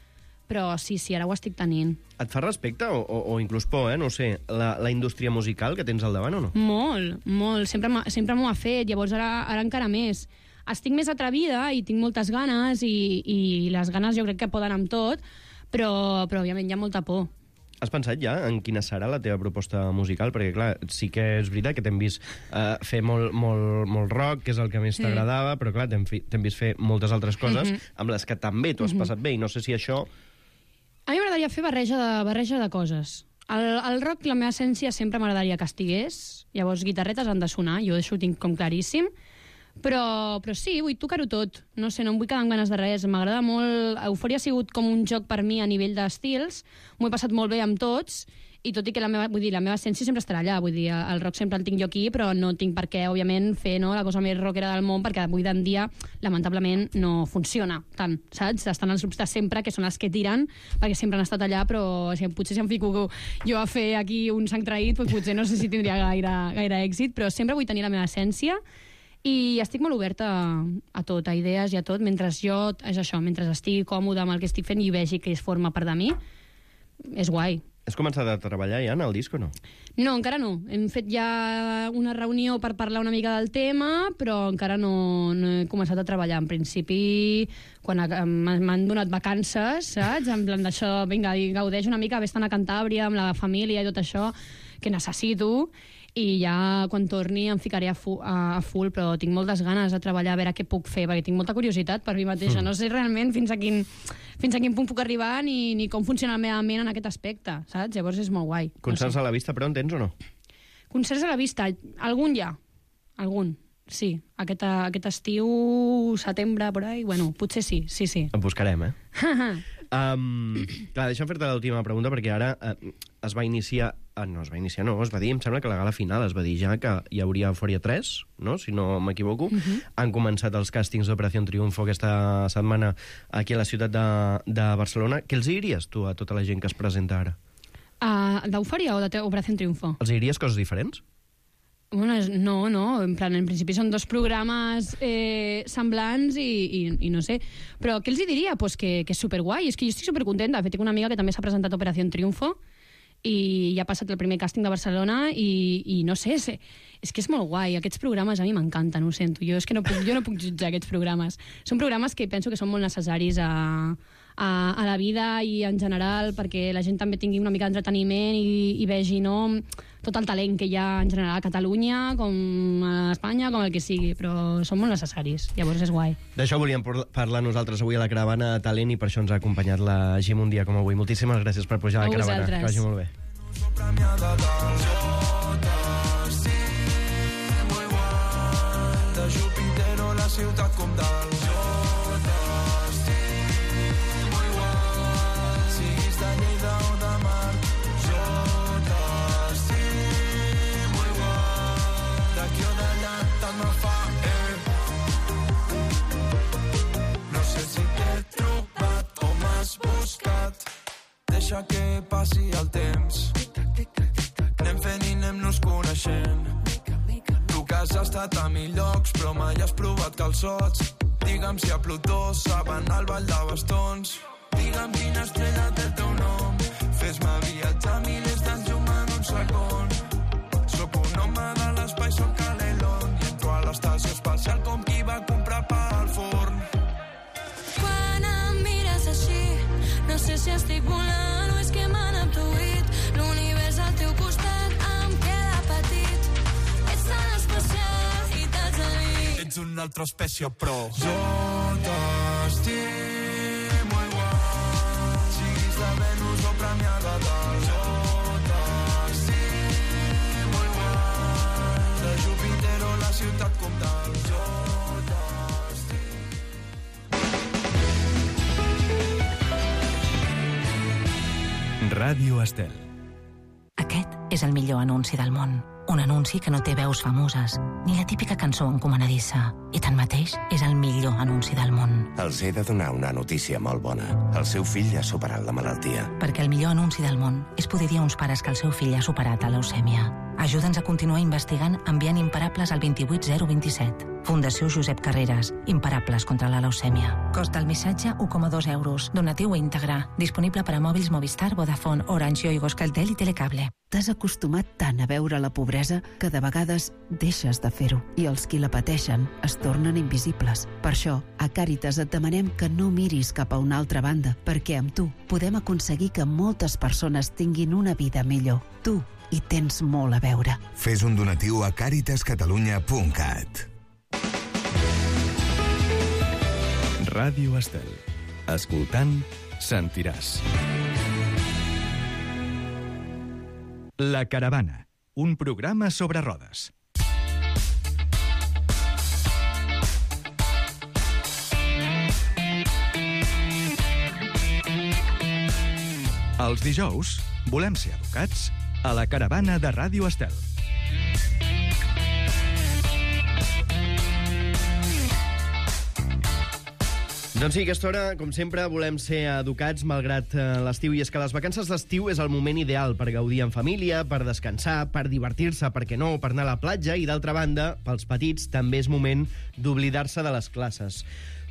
però sí, sí, ara ho estic tenint. Et fa respecte o, o, o inclús por, eh? No ho sé, la, la indústria musical que tens al davant o no? Molt, molt. Sempre, m'ha- sempre m'ho ha fet, llavors ara, ara encara més. Estic més atrevida i tinc moltes ganes i, i les ganes jo crec que poden amb tot, però, però òbviament hi ha molta por. Has pensat ja en quina serà la teva proposta musical? Perquè, clar, sí que és veritat que t'hem vist uh, fer molt, molt, molt rock, que és el que més Sí. t'agradava, però, clar, t'hem fi- t'hem vist fer moltes altres coses amb les que també t'ho has passat bé, i no sé si això... A mi m'agradaria fer barreja de, barreja de coses. El, el rock, la meva essència, sempre m'agradaria que estigués. Llavors, guitarretes han de sonar, jo això ho tinc com claríssim. Però, però sí, vull tocar-ho tot. No sé, no em vull quedar amb ganes de res. M'agrada molt... Eufòria ha sigut com un joc per mi a nivell d'estils. M'ho he passat molt bé amb tots. I tot i que la meva, vull dir, la meva essència sempre estarà allà. Vull dir, el rock sempre el tinc jo aquí, però no tinc per què, òbviament, fer no, la cosa més rockera del món, perquè avui en dia, lamentablement, no funciona tant, saps? Estan els grups de sempre, que són els que tiren, perquè sempre han estat allà, però si, potser si em fico jo a fer aquí un sang traït, doncs potser no sé si tindria gaire, gaire èxit, però sempre vull tenir la meva essència i estic molt oberta a, a tot, a idees i a tot, mentre jo, és això, mentre estigui còmode amb el que estic fent i vegi que es forma part de mi, és guai. Has començat a treballar ja en el disc o no? No, encara no. Hem fet ja una reunió per parlar una mica del tema, però encara no, no he començat a treballar. En principi, quan ha- m'han m'han donat vacances, saps? En plan d'això, vinga, i gaudeix una mica, vés-te'n a Cantàbria amb la família i tot això, que necessito, i ja quan torni em ficaré a, fu a, a full, però tinc moltes ganes de treballar, a veure què puc fer, perquè tinc molta curiositat per mi mateixa. Mm. No sé realment fins a quin, fins a quin punt puc arribar ni, ni com funciona la meva ment en aquest aspecte, saps? Llavors és molt guai. Concerts no sé. a la vista, però en tens o no? Concerts a la vista, algun ja. Algun, sí. Aquest, aquest estiu, setembre, por ahí, bueno, potser sí, sí, sí. Et buscarem, eh? Um, clar, deixa'm fer-te l'última pregunta, perquè ara uh, es va iniciar... Uh, no, es va iniciar, no, es va dir, em sembla que la gala final es va dir ja que hi hauria Eufòria tres, no?, si no m'equivoco. Uh -huh. Han començat els càstings d'Operació Triunfo aquesta setmana aquí a la ciutat de, de Barcelona. Què els diries tu a tota la gent que es presenta ara? Uh, D'Eufòria o de Operació Triunfo? Els diries coses diferents? Bueno, és- no, no, en plan, en principi són dos programes eh, semblants i, i, i no sé. Però què els hi diria? Pues que, que és superguai, és que jo estic supercontenta. De fet, tinc una amiga que també s'ha presentat a Operació Triunfo i ja ha passat el primer càsting de Barcelona i, i no sé, és, és que és molt guai. Aquests programes a mi m'encanten, ho sento. Jo és que no puc, jo no puc jutjar aquests programes. Són programes que penso que són molt necessaris a, a, a la vida i en general perquè la gent també tingui una mica d'entreteniment i, i vegi no, tot el talent que hi ha en general a Catalunya, com a Espanya, com el que sigui, però són molt necessaris. Llavors és guai. D'això volíem por- parlar nosaltres avui a la Caravana de Talent i per això ens ha acompanyat la Gim un dia com avui. Moltíssimes gràcies per pujar a A la Caravana. vosaltres. Que vagi molt bé. Premiada del J C, muy guai. De Jupiter la ciutat com del J C, muy guai. Siguis de Lleida o de Mar, J C, muy guai. D'aquí o d'allà tant me fa, eh. No sé si t'he trobat o m'has buscat. Deixa que passi el temps. Anem fent i anem-nos coneixent. Tu que has estat a mil llocs, però mai has provat calçots. Digue'm si a Plutó saben el ball de bastons. Digue'm quina estrella té el teu nom. Fes-me viatjar milers d'anys llum en un segon. Sóc un home de l'espai, sóc a l'Elon. I entro a l'estació espacial com qui va comprar pa al forn. Quan em mires així, no sé si estic volant o és que m'han abduït. L'univers al teu costat em queda petit. Ets tan especial i t'haig de dir. Ets una altra espècie, però jo t'estimo igual. Siguis de Venus o premiada del jo t'estimo igual. De Júpiter o la ciutat com del jo Ràdio Estel. Aquest és el millor anunci del món. Un anunci que no té veus famoses, ni la típica cançó encomanadissa. I tanmateix és el millor anunci del món. Els he de donar una notícia molt bona. El seu fill ha superat la malaltia. Perquè el millor anunci del món és poder dir a uns pares que el seu fill ha superat la leucèmia. Ajuda'ns a continuar investigant enviant imparables al dos vuit zero dos set. Fundació Josep Carreras. Imparables contra la leucèmia. Cost del missatge u coma dos euros. Donatiu íntegre. Disponible per a mòbils Movistar, Vodafone, Orange, Yoigo, Euskaltel i Telecable. T'has acostumat tant a veure la pobresa que de vegades deixes de fer-ho i els qui la pateixen es tornen invisibles. Per això, a Càritas et demanem que no miris cap a una altra banda, perquè amb tu podem aconseguir que moltes persones tinguin una vida millor. Tu hi tens molt a veure. Fes un donatiu a càritas catalunya punt cat. Ràdio Estel. Escoltant, sentiràs. La Caravana, un programa sobre rodes. Els dijous volem ser educats a la Caravana de Ràdio Estel. Doncs sí, a aquesta hora, com sempre, volem ser educats malgrat eh, l'estiu. I és que les vacances d'estiu és el moment ideal per gaudir en família, per descansar, per divertir-se, per què no, per anar a la platja. I d'altra banda, pels petits, també és moment d'oblidar-se de les classes.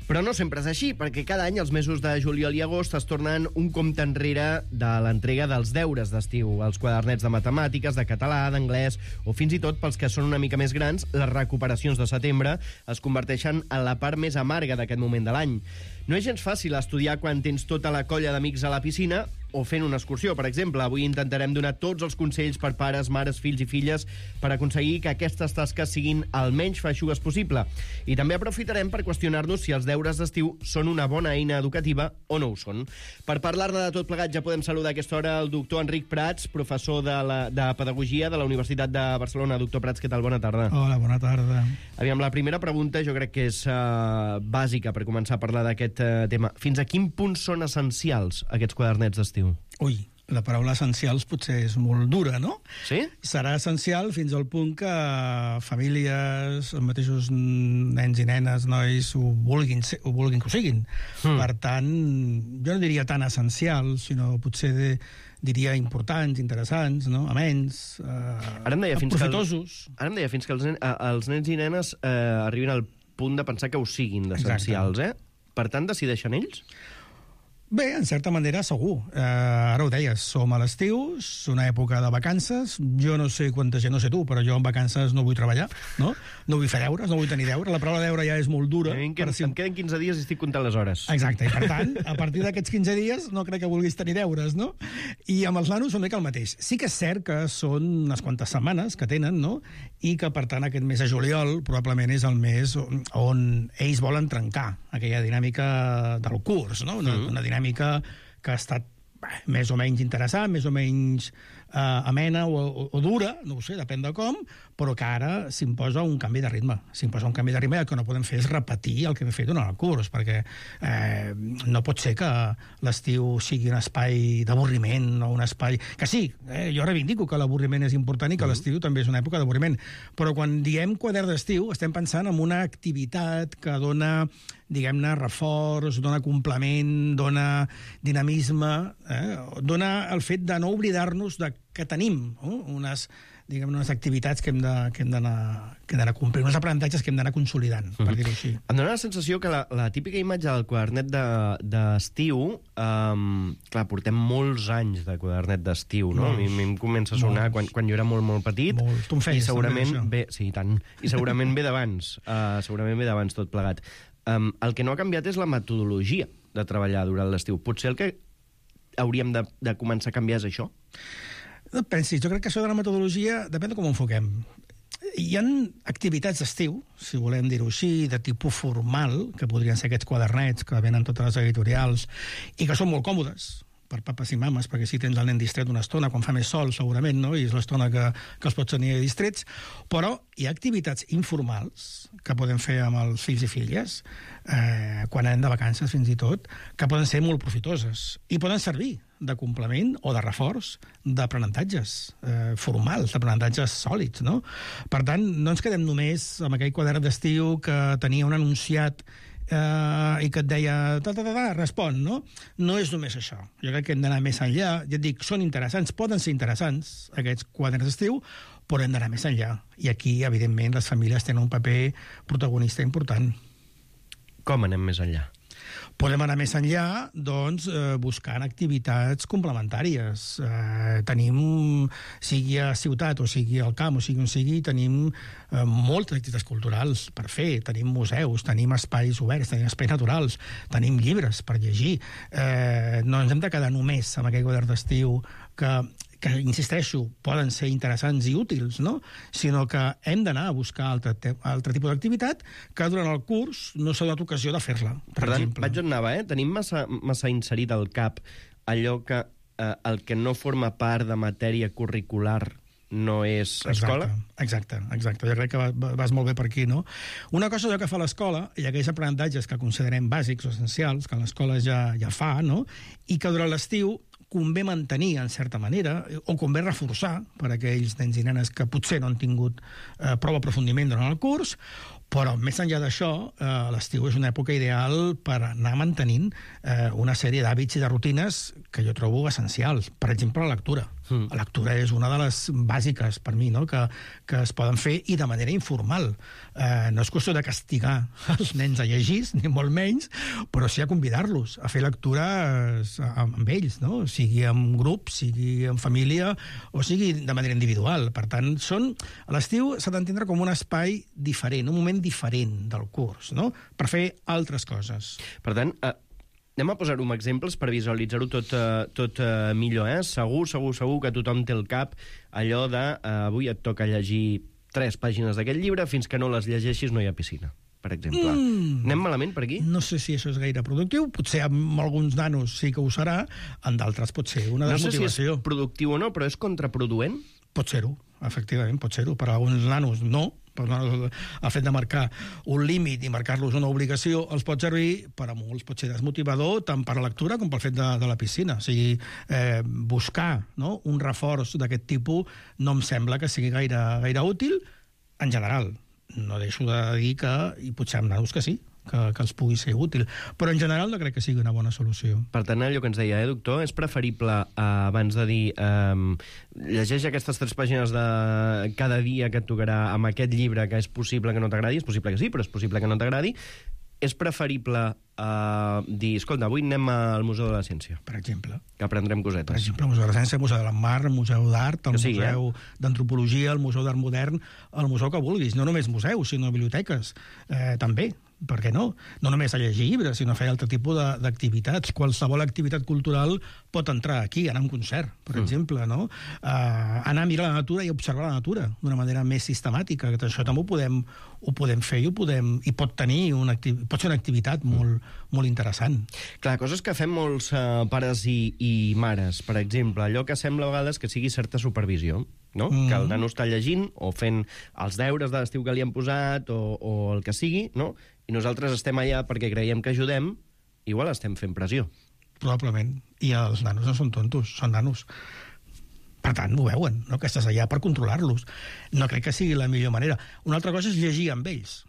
Però no sempre és així, perquè cada any els mesos de juliol i agost es tornen un compte enrere de l'entrega dels deures d'estiu, els quadernets de matemàtiques, de català, d'anglès, o fins i tot, pels que són una mica més grans, les recuperacions de setembre es converteixen en la part més amarga d'aquest moment de l'any. No és gens fàcil estudiar quan tens tota la colla d'amics a la piscina o fent una excursió, per exemple. Avui intentarem donar tots els consells per pares, mares, fills i filles per aconseguir que aquestes tasques siguin el menys feixugues possible. I també aprofitarem per qüestionar-nos si els deures d'estiu són una bona eina educativa o no ho són. Per parlar-ne de tot plegat ja podem saludar a aquesta hora el doctor Enric Prats, professor de, la, de Pedagogia de la Universitat de Barcelona. Doctor Prats, què tal? Bona tarda. Hola, bona tarda. Aviam, la primera pregunta jo crec que és uh, bàsica per començar a parlar d'aquest uh, tema. Fins a quin punt són essencials aquests quadernets d'estiu? Ui, la paraula essencials potser és molt dura, no? Sí? Serà essencial fins al punt que famílies, els mateixos nens i nenes, nois, ho vulguin, ser, ho vulguin que ho siguin. Mm. Per tant, jo no diria tan essencials, sinó potser de, diria importants, interessants, no? Amens, eh, ara em deia fins profitosos. Que el, ara em deia fins que els, nen, els nens i nenes eh, arribin al punt de pensar que ho siguin d'essencials, eh? Per tant, decideixen ells? Bé, en certa manera, segur. Eh, ara ho deies, som a l'estiu, és una època de vacances. Jo no sé quanta gent, no sé tu, però jo en vacances no vull treballar, no? No vull fer deures, no vull tenir deures. La paraula deure ja és molt dura. Em, queden, si... em queden quinze dies i estic comptant les hores. Exacte, i per tant, a partir d'aquests quinze dies no crec que vulguis tenir deures, no? I amb els nanos una mica el mateix. Sí que és cert que són unes quantes setmanes que tenen, no? I que, per tant, aquest mes de juliol probablement és el mes on, on ells volen trencar aquella dinàmica del curs, no? Una, mm. una dinàmica que ha estat bé, més o menys interessant, més o menys eh, amena o, o, o dura, no ho sé, depèn de com, però que ara s'imposa un canvi de ritme. S'imposa un canvi de ritme i el que no podem fer és repetir el que hem fet durant el curs, perquè eh, no pot ser que l'estiu sigui un espai d'avorriment o un espai... Que sí, eh, jo reivindico que l'avorriment és important i que l'estiu també és una època d'avorriment, però quan diem quadern d'estiu estem pensant en una activitat que dona, diguem-ne, reforç, dona complement, dona dinamisme, eh? Dona el fet de no oblidar-nos de que tenim eh? unes, diguem, unes activitats que hem de, que hem d'anar que hem d'anar complint, uns aprenentatges que hem d'anar consolidant, mm-hmm. per dir-ho així. Em dóna la sensació que la, la típica imatge del quadernet d'estiu, de, um, clar, portem molts anys de quadernet d'estiu, no? Molts, a mi em comença a sonar quan, quan jo era molt, molt petit. Molts. Tu em feies, i segurament també, ve, sí, tant. I segurament ve d'abans. Uh, segurament ve d'abans tot plegat. Um, el que no ha canviat és la metodologia de treballar durant l'estiu. Potser el que hauríem de, de començar a canviar és això? No pensis, jo crec que això de la metodologia depèn de com ho enfoquem. Hi ha activitats d'estiu, si volem dir-ho així, de tipus formal, que podrien ser aquests quadernets que venen totes les editorials, i que són molt còmodes, per papes i mames, perquè si tens el nen distret una estona, quan fa més sol, segurament, no? I és l'estona que, que els pots tenir distrets, però hi ha activitats informals que podem fer amb els fills i filles, eh, quan anem de vacances fins i tot, que poden ser molt profitoses i poden servir de complement o de reforç d'aprenentatges eh, formals, d'aprenentatges sòlids, no? Per tant, no ens quedem només amb aquell quadern d'estiu que tenia un enunciat Uh, i que et deia, ta, ta, ta, ta, respon, no? No és només això. Jo crec que hem d'anar més enllà. Ja et dic, són interessants, poden ser interessants, aquests quaderns d'estiu, però hem d'anar més enllà. I aquí, evidentment, les famílies tenen un paper protagonista important. Com anem més enllà? Podem anar més enllà, doncs, eh, buscant activitats complementàries. Eh, tenim, sigui a ciutat o sigui al camp o sigui on sigui, tenim eh, moltes activitats culturals per fer. Tenim museus, tenim espais oberts, tenim espais naturals, tenim llibres per llegir. Eh, no ens hem de quedar només amb aquell quadern d'estiu que que, insisteixo, poden ser interessants i útils, no? Sinó que hem d'anar a buscar altre, altre tipus d'activitat que durant el curs no s'ha donat ocasió de fer-la, per, per tant, exemple. vaig on anava, eh? Tenim massa, massa inserit al cap allò que eh, el que no forma part de matèria curricular no és escola? Exacte, exacte. Jo crec que vas molt bé per aquí, no? Una cosa és el que fa l'escola, i aquells aprenentatges que considerem bàsics o essencials, que l'escola ja, ja fa, no? I que durant l'estiu convé mantenir, en certa manera, o convé reforçar per a aquells nens i nenes que potser no han tingut eh, prou aprofundiment durant el curs, però més enllà d'això, eh, l'estiu és una època ideal per anar mantenint eh, una sèrie d'hàbits i de rutines que jo trobo essencials. Per exemple, la lectura. Mm. La lectura és una de les bàsiques, per mi, no? que, que es poden fer i de manera informal. Eh, no és qüestió de castigar els nens a llegir, ni molt menys, però sí a convidar-los a fer lectures amb ells, no? Sigui en grup, sigui en família, o sigui de manera individual. Per tant, són, a l'estiu s'ha d'entendre com un espai diferent, un moment diferent del curs, no? Per fer altres coses. Per tant, eh, anem a posar-ho amb exemples per visualitzar-ho tot, eh, tot eh, millor, eh? Segur, segur, segur que tothom té al cap allò de eh, avui et toca llegir tres pàgines d'aquest llibre, fins que no les llegeixis no hi ha piscina, per exemple. Mm. Anem malament per aquí? No sé si això és gaire productiu. Potser amb alguns nanos sí que ho serà, en d'altres pot ser una desmotivació. No sé si és productiu o no, però és contraproduent? Pot ser-ho, efectivament, pot ser-ho. Per a alguns nanos no. Per nanos, el fet de marcar un límit i marcar-los una obligació els pot servir, per a molts pot ser desmotivador, tant per la lectura com pel fet de, de la piscina. O sigui, eh, buscar, no?, un reforç d'aquest tipus no em sembla que sigui gaire, gaire útil en general. No deixo de dir que, i potser amb nanos que sí, que, que els pugui ser útil. Però en general no crec que sigui una bona solució. Per tant, allò que ens deia, eh, doctor, és preferible, eh, abans de dir eh, llegeix aquestes tres pàgines de cada dia que et tocarà amb aquest llibre que és possible que no t'agradi, és possible que sí, però és possible que no t'agradi, és preferible eh, dir, escolta, avui anem al Museu de la Ciència. Per exemple. Que aprendrem cosetes. Per exemple, el Museu de la Ciència, el Museu de la Mar, el Museu d'Art, el sí, Museu eh? d'Antropologia, el Museu d'Art Modern, el museu que vulguis. No només museus, sinó biblioteques. Eh, també. Per què no? No només a llegir llibres, sinó a fer altre tipus d'activitats. Qualsevol activitat cultural pot entrar aquí, anar a un concert, per mm. exemple, no? Uh, anar a mirar la natura i observar la natura d'una manera més sistemàtica. Això també ho podem, ho podem fer i ho podem, i pot tenir una pot ser una activitat molt, molt interessant. Clar, coses que fem molts uh, pares i, i mares, per exemple, allò que sembla a vegades que sigui certa supervisió, no? Mm. Que el nano està llegint o fent els deures de l'estiu que li han posat o, o el que sigui, no? I nosaltres estem allà perquè creiem que ajudem, igual estem fent pressió. Probablement. I els nanos no són tontos, són nanos. Per tant, ho veuen, no? Que estàs allà per controlar-los. No crec que sigui la millor manera. Una altra cosa és llegir amb ells,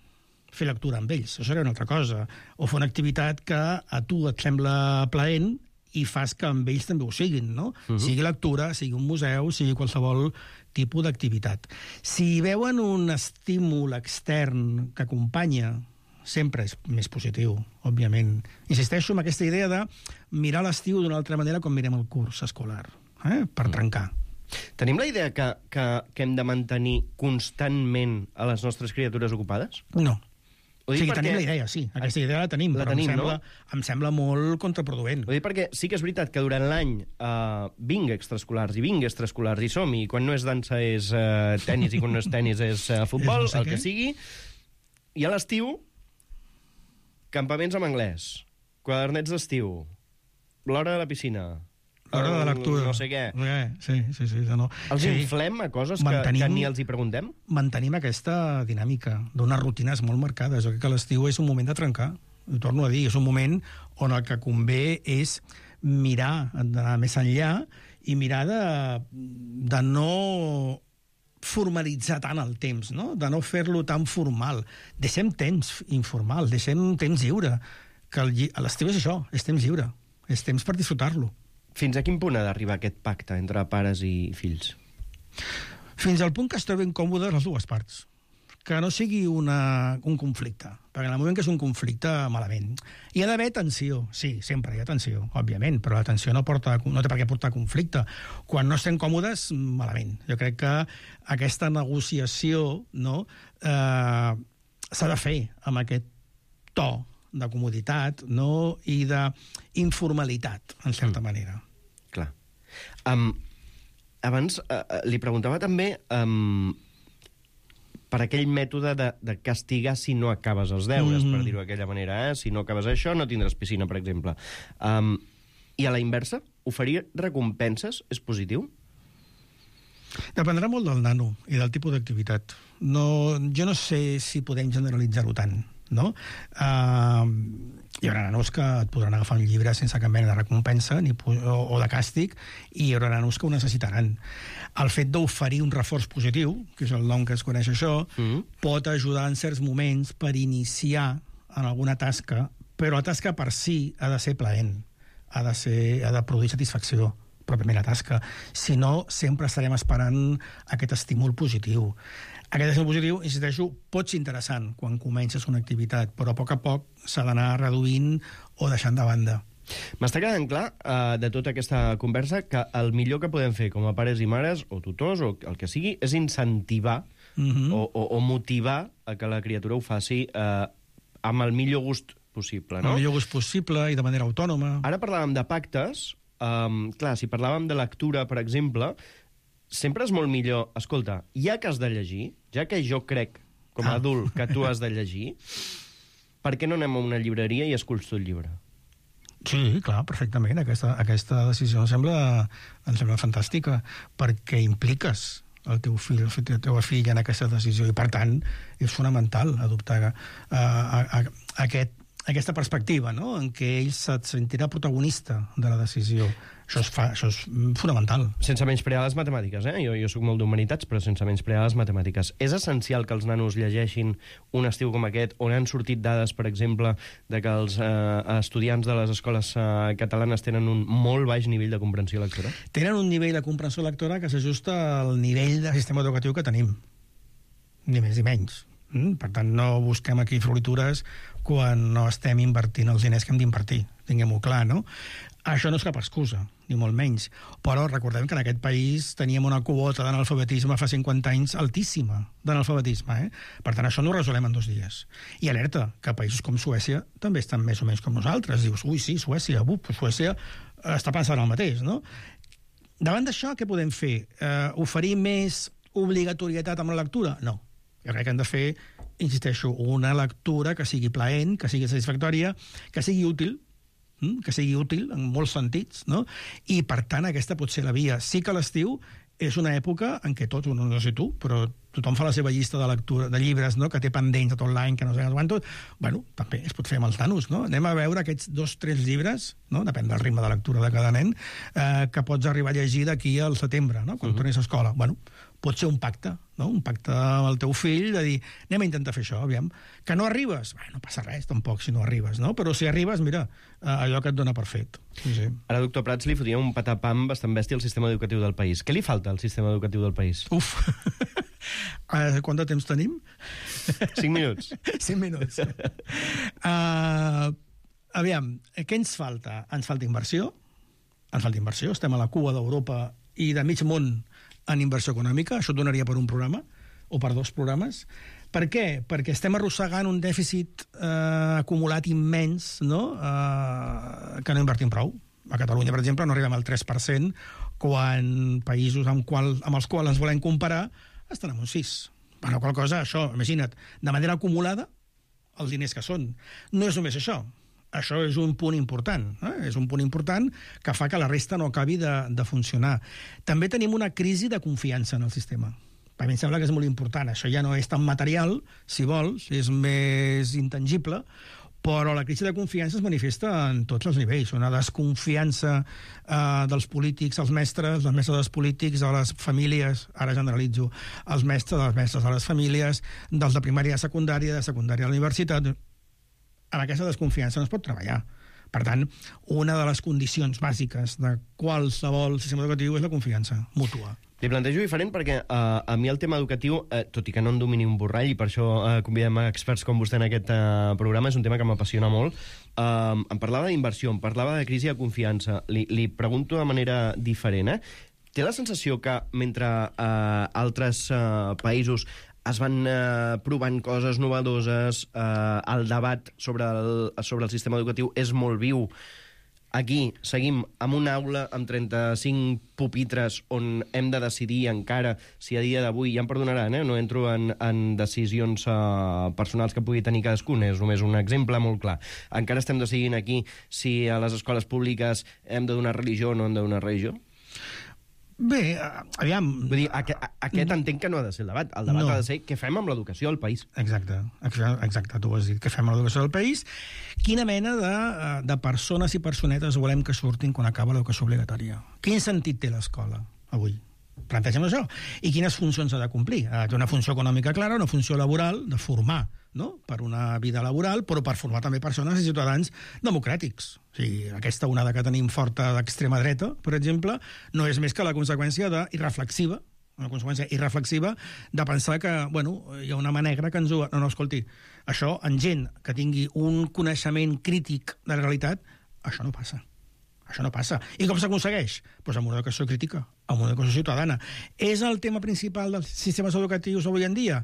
fer lectura amb ells. Això seria una altra cosa. O fer una activitat que a tu et sembla plaent i fas que amb ells també ho siguin, no? Uh-huh. Sigui lectura, sigui un museu, sigui qualsevol tipus d'activitat. Si veuen un estímul extern que acompanya, sempre és més positiu, òbviament. Insisteixo en aquesta idea de mirar l'estiu d'una altra manera com mirem el curs escolar, eh? Per mm. trencar. Tenim la idea que, que, que hem de mantenir constantment a les nostres criatures ocupades? No. O sigui, perquè... tenim la idea, sí. Aquesta idea la tenim, la però tenim, em, sembla, no? em sembla molt contraproduent. Ho dic perquè sí que és veritat que durant l'any uh, vinc extraescolars i vinc extraescolars i som, i quan no és dansa és uh, tenis i quan no és tenis és uh, futbol, és no sé el què. Que sigui. I a l'estiu, campaments en anglès, quadernets d'estiu, l'hora de la piscina, L'hora de lectura. No sé què. Eh, sí, sí, sí. No. Els sí. inflem a coses mantenim, que, que ni els hi preguntem? Mantenim aquesta dinàmica d'unes rutines molt marcades. Jo crec que l'estiu és un moment de trencar. Ho torno a dir, és un moment on el que convé és mirar, d'anar més enllà i mirar de, de no formalitzar tant el temps, no? De no fer-lo tan formal. Deixem temps informal, deixem temps lliure. Que l'estiu és això, és temps lliure. És temps per disfrutar-lo. Fins a quin punt ha d'arribar aquest pacte entre pares i fills? Fins al punt que es troben còmodes les dues parts. Que no sigui una, un conflicte. Perquè en el moment que és un conflicte, malament. Hi ha d'haver tensió. Sí, sempre hi ha tensió, òbviament, però la tensió no, porta, no té per què portar conflicte. Quan no estem còmodes, malament. Jo crec que aquesta negociació, no, eh, s'ha de fer amb aquest to de comoditat, no? I d'informalitat, en certa manera. Clar. Um, abans uh, li preguntava també um, per aquell mètode de, de castigar si no acabes els deures, mm-hmm. per dir-ho d'aquella manera. Eh? Si no acabes això, no tindràs piscina, per exemple. Um, I a la inversa, oferir recompenses és positiu? Dependrà molt del nano i del tipus d'activitat. No, jo no sé si podem generalitzar-ho tant. No? Uh, hi haurà nanos que et podran agafar un llibre sense cap mena de recompensa ni, o, o de càstig, i hi haurà nanos que ho necessitaran. El fet d'oferir un reforç positiu, que és el nom que es coneix això, mm. pot ajudar en certs moments per iniciar en alguna tasca, però la tasca per si ha de ser plaent, ha de, ser, ha de produir satisfacció, pròpiament la tasca. Si no, sempre estarem esperant aquest estímul positiu. Aquest estímul positiu, insisteixo, pot ser interessant quan comences una activitat, però a poc a poc s'ha d'anar reduint o deixant de banda. M'està quedant clar, uh, de tota aquesta conversa, que el millor que podem fer com a pares i mares, o tutors, o el que sigui, és incentivar mm-hmm. o, o, o motivar a que la criatura ho faci uh, amb el millor gust possible, no? El millor gust possible i de manera autònoma. Ara parlàvem de pactes. Um, clar, si parlàvem de lectura, per exemple, sempre és molt millor, escolta, ja que has de llegir, ja que jo crec, com a ah. adult, que tu has de llegir, per què no anem a una llibreria i esculls tu el llibre? Sí, clar, perfectament. Aquesta, aquesta decisió em sembla, em sembla fantàstica, perquè impliques el teu fill, la teva filla en aquesta decisió, i per tant és fonamental adoptar uh, a, a, a aquest aquesta perspectiva, no?, en què ell se't sentirà protagonista de la decisió. Això és, fa, això és fonamental. Sense menysprear les matemàtiques, eh? Jo, jo soc molt d'humanitats, però sense menysprear les matemàtiques. És essencial que els nanos llegeixin un estiu com aquest, on han sortit dades, per exemple, de que els eh, estudiants de les escoles eh, catalanes tenen un molt baix nivell de comprensió lectora? Tenen un nivell de comprensió lectora que s'ajusta al nivell de sistema educatiu que tenim. Ni més ni menys. Mm? Per tant, no busquem aquí floritures quan no estem invertint els diners que hem d'invertir. Tinguem-ho clar, no? Això no és cap excusa, ni molt menys. Però recordem que en aquest país teníem una quota d'analfabetisme fa cinquanta anys altíssima, d'analfabetisme, eh? Per tant, això no ho resolem en dos dies. I alerta, que països com Suècia també estan més o menys com nosaltres. Dius, ui, sí, Suècia, uf, Suècia està pensant el mateix, no? Davant d'això, què podem fer? Uh, oferir més obligatorietat amb la lectura? No. Jo crec que hem de fer, insisteixo, una lectura que sigui plaent, que sigui satisfactòria, que sigui útil, que sigui útil en molts sentits, no? I, per tant, aquesta pot ser la via. Sí que l'estiu és una època en què tots, no, no sé tu, però tothom fa la seva llista de lectura de llibres, no?, que té pendents de tot l'any, que no sé quantos. Bueno, també es pot fer amb els nanos, no? Anem a veure aquests dos, tres llibres, no?, depèn del ritme de lectura de cada nen, eh, que pots arribar a llegir d'aquí al setembre, no?, quan uh-huh. tornis a escola. Bueno, pot ser un pacte, no?, un pacte amb el teu fill, de dir, anem a intentar fer això, aviam. Que no arribes? Bé, no passa res, tampoc, si no arribes, no? Però si arribes, mira, allò que et dona per fet. Sí, sí. Ara, doctor Prats, li fotia un patapam bastant bèstia al sistema educatiu del país. Què li falta al sistema educatiu del país? Uf! Uh, quant de temps tenim? Cinc minuts. Cinc minuts. Uh, aviam, què ens falta? Ens falta inversió. Ens falta inversió. Estem a la cua d'Europa i de mig món en inversió econòmica. Això et donaria per un programa o per dos programes. Per què? Perquè estem arrossegant un dèficit eh, acumulat immens, no?, eh, que no invertim prou. A Catalunya, per exemple, no arribem al tres per cent, quan països amb, qual, amb els quals ens volem comparar estan en un sis. Per la qual cosa, això, imagina't, de manera acumulada, els diners que són. No és només això. Això és un punt important, eh? És un punt important que fa que la resta no acabi de, de funcionar. També tenim una crisi de confiança en el sistema. A mi em sembla que és molt important. Això ja no és tan material, si vols, és més intangible, però la crisi de confiança es manifesta en tots els nivells. Una desconfiança eh, dels polítics, els mestres, els mestres dels polítics, de les famílies, ara generalitzo, els mestres, dels mestres de les famílies, dels de primària a secundària, de secundària a la universitat. Amb aquesta desconfiança no es pot treballar. Per tant, una de les condicions bàsiques de qualsevol sistema educatiu és la confiança mútua. Li plantejo diferent perquè uh, a mi el tema educatiu, uh, tot i que no en domini un borrall, i per això uh, convidem a experts com vostè en aquest uh, programa, és un tema que m'apassiona molt. Uh, em parlava d'inversió, em parlava de crisi de confiança. Li, li pregunto de manera diferent, eh? Té la sensació que mentre uh, altres uh, països es van eh, provant coses novedoses, eh, el debat sobre el, sobre el sistema educatiu és molt viu. Aquí seguim amb una aula amb trenta-cinc pupitres on hem de decidir encara si a dia d'avui, ja em perdonaran, eh, no entro en, en decisions eh, personals que pugui tenir cadascun, és només un exemple molt clar. Encara estem decidint aquí si a les escoles públiques hem de donar religió o no hem de donar religió? Bé, aviam... Vull dir, aquest, aquest entenc que no ha de ser el debat. El debat no. ha de ser què fem amb l'educació al país. Exacte, exacte, tu ho has dit. Què fem amb l'educació del país? Quina mena de, de persones i personetes volem que surtin quan acaba l'educació obligatòria? Quin sentit té l'escola avui? Plantegem això. I quines funcions ha de complir? Ha de té una funció econòmica clara, una funció laboral, de formar, no?, per una vida laboral, però per formar també persones i ciutadans democràtics. O sigui, aquesta onada que tenim forta d'extrema dreta, per exemple, no és més que la conseqüència de irreflexiva, una conseqüència irreflexiva de pensar que, bueno, hi ha una mà negra que ens ho... No, no, escolti, això, en gent que tingui un coneixement crític de la realitat, això no passa. Això no passa. I com s'aconsegueix? Pues amb una educació crítica, amb una educació ciutadana. És el tema principal dels sistemes educatius avui en dia?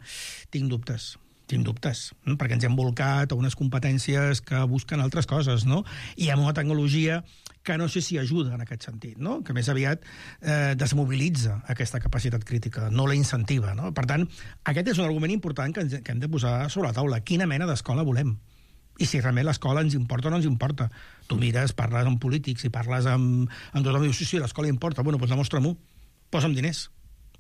Tinc dubtes. Tinc dubtes, perquè ens hem volcat a unes competències que busquen altres coses, no? I amb una tecnologia que no sé si ajuda en aquest sentit, no? Que més aviat eh, desmobilitza aquesta capacitat crítica, no la incentiva, no? Per tant, aquest és un argument important que, ens, que hem de posar sobre la taula. Quina mena d'escola volem? I si realment l'escola ens importa o no ens importa. Tu mires, parles amb polítics i parles amb, amb tothom i dius, sí, sí, l'escola importa. Bueno, doncs demostra-m'ho. Posa'm diners.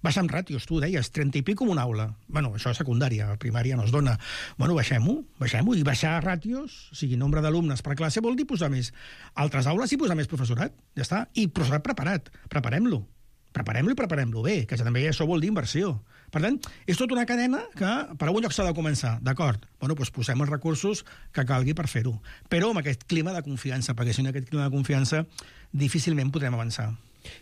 Baixa'm ràtios, tu deies, trenta i pico en una aula. Bueno, això és secundària, a primària no es dona. Bueno, baixem-ho, baixem-ho, i baixar ràtios, o sigui, nombre d'alumnes per classe, vol dir posar més altres aules i posar més professorat, ja està. I professorat preparat, preparem-lo. Preparem-lo i preparem-lo bé, que també això vol dir inversió. Per tant, és tota una cadena que per algun lloc s'ha de començar, d'acord? Bueno, doncs posem els recursos que calgui per fer-ho. Però amb aquest clima de confiança, perquè si no aquest clima de confiança difícilment podrem avançar.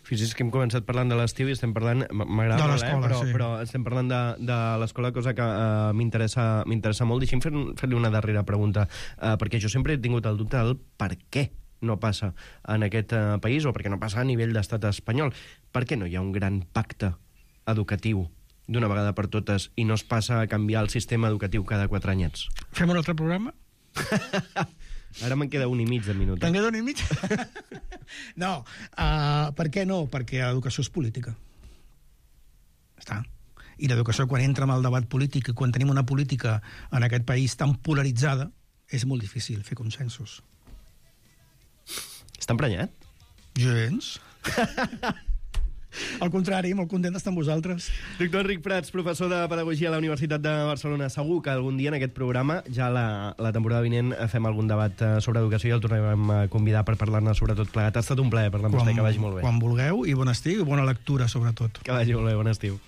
Fixi's que hem començat parlant de l'estiu i estem parlant... M'agrada molt, eh? Però, sí. però estem parlant de, de l'escola, cosa que uh, m'interessa m'interessa molt. Deixi'm fer-li fer una darrera pregunta, uh, perquè jo sempre he tingut el dubte del per què no passa en aquest uh, país, o perquè no passa a nivell d'estat espanyol. Per què no hi ha un gran pacte educatiu d'una vegada per totes i no es passa a canviar el sistema educatiu cada quatre anyets? Fem un altre programa? Ara me'n queda un i mig de minut. Te'n queda un i mig? No. Uh, per què no? Perquè l'educació és política. Està. I l'educació, quan entra en el debat polític i quan tenim una política en aquest país tan polaritzada, és molt difícil fer consensos. Està emprenyat? Gens. Al contrari, molt content d'estar amb vosaltres. Doctor Enric Prats, professor de Pedagogia a la Universitat de Barcelona. Segur que algun dia en aquest programa, ja la, la temporada vinent, fem algun debat sobre educació i el tornarem a convidar per parlar-ne sobretot plegat. Ha estat un plaer parlar amb vostè, que vagi molt bé. Quan vulgueu, i bon estiu, i bona lectura, sobretot. Que vagi molt bé, bon estiu.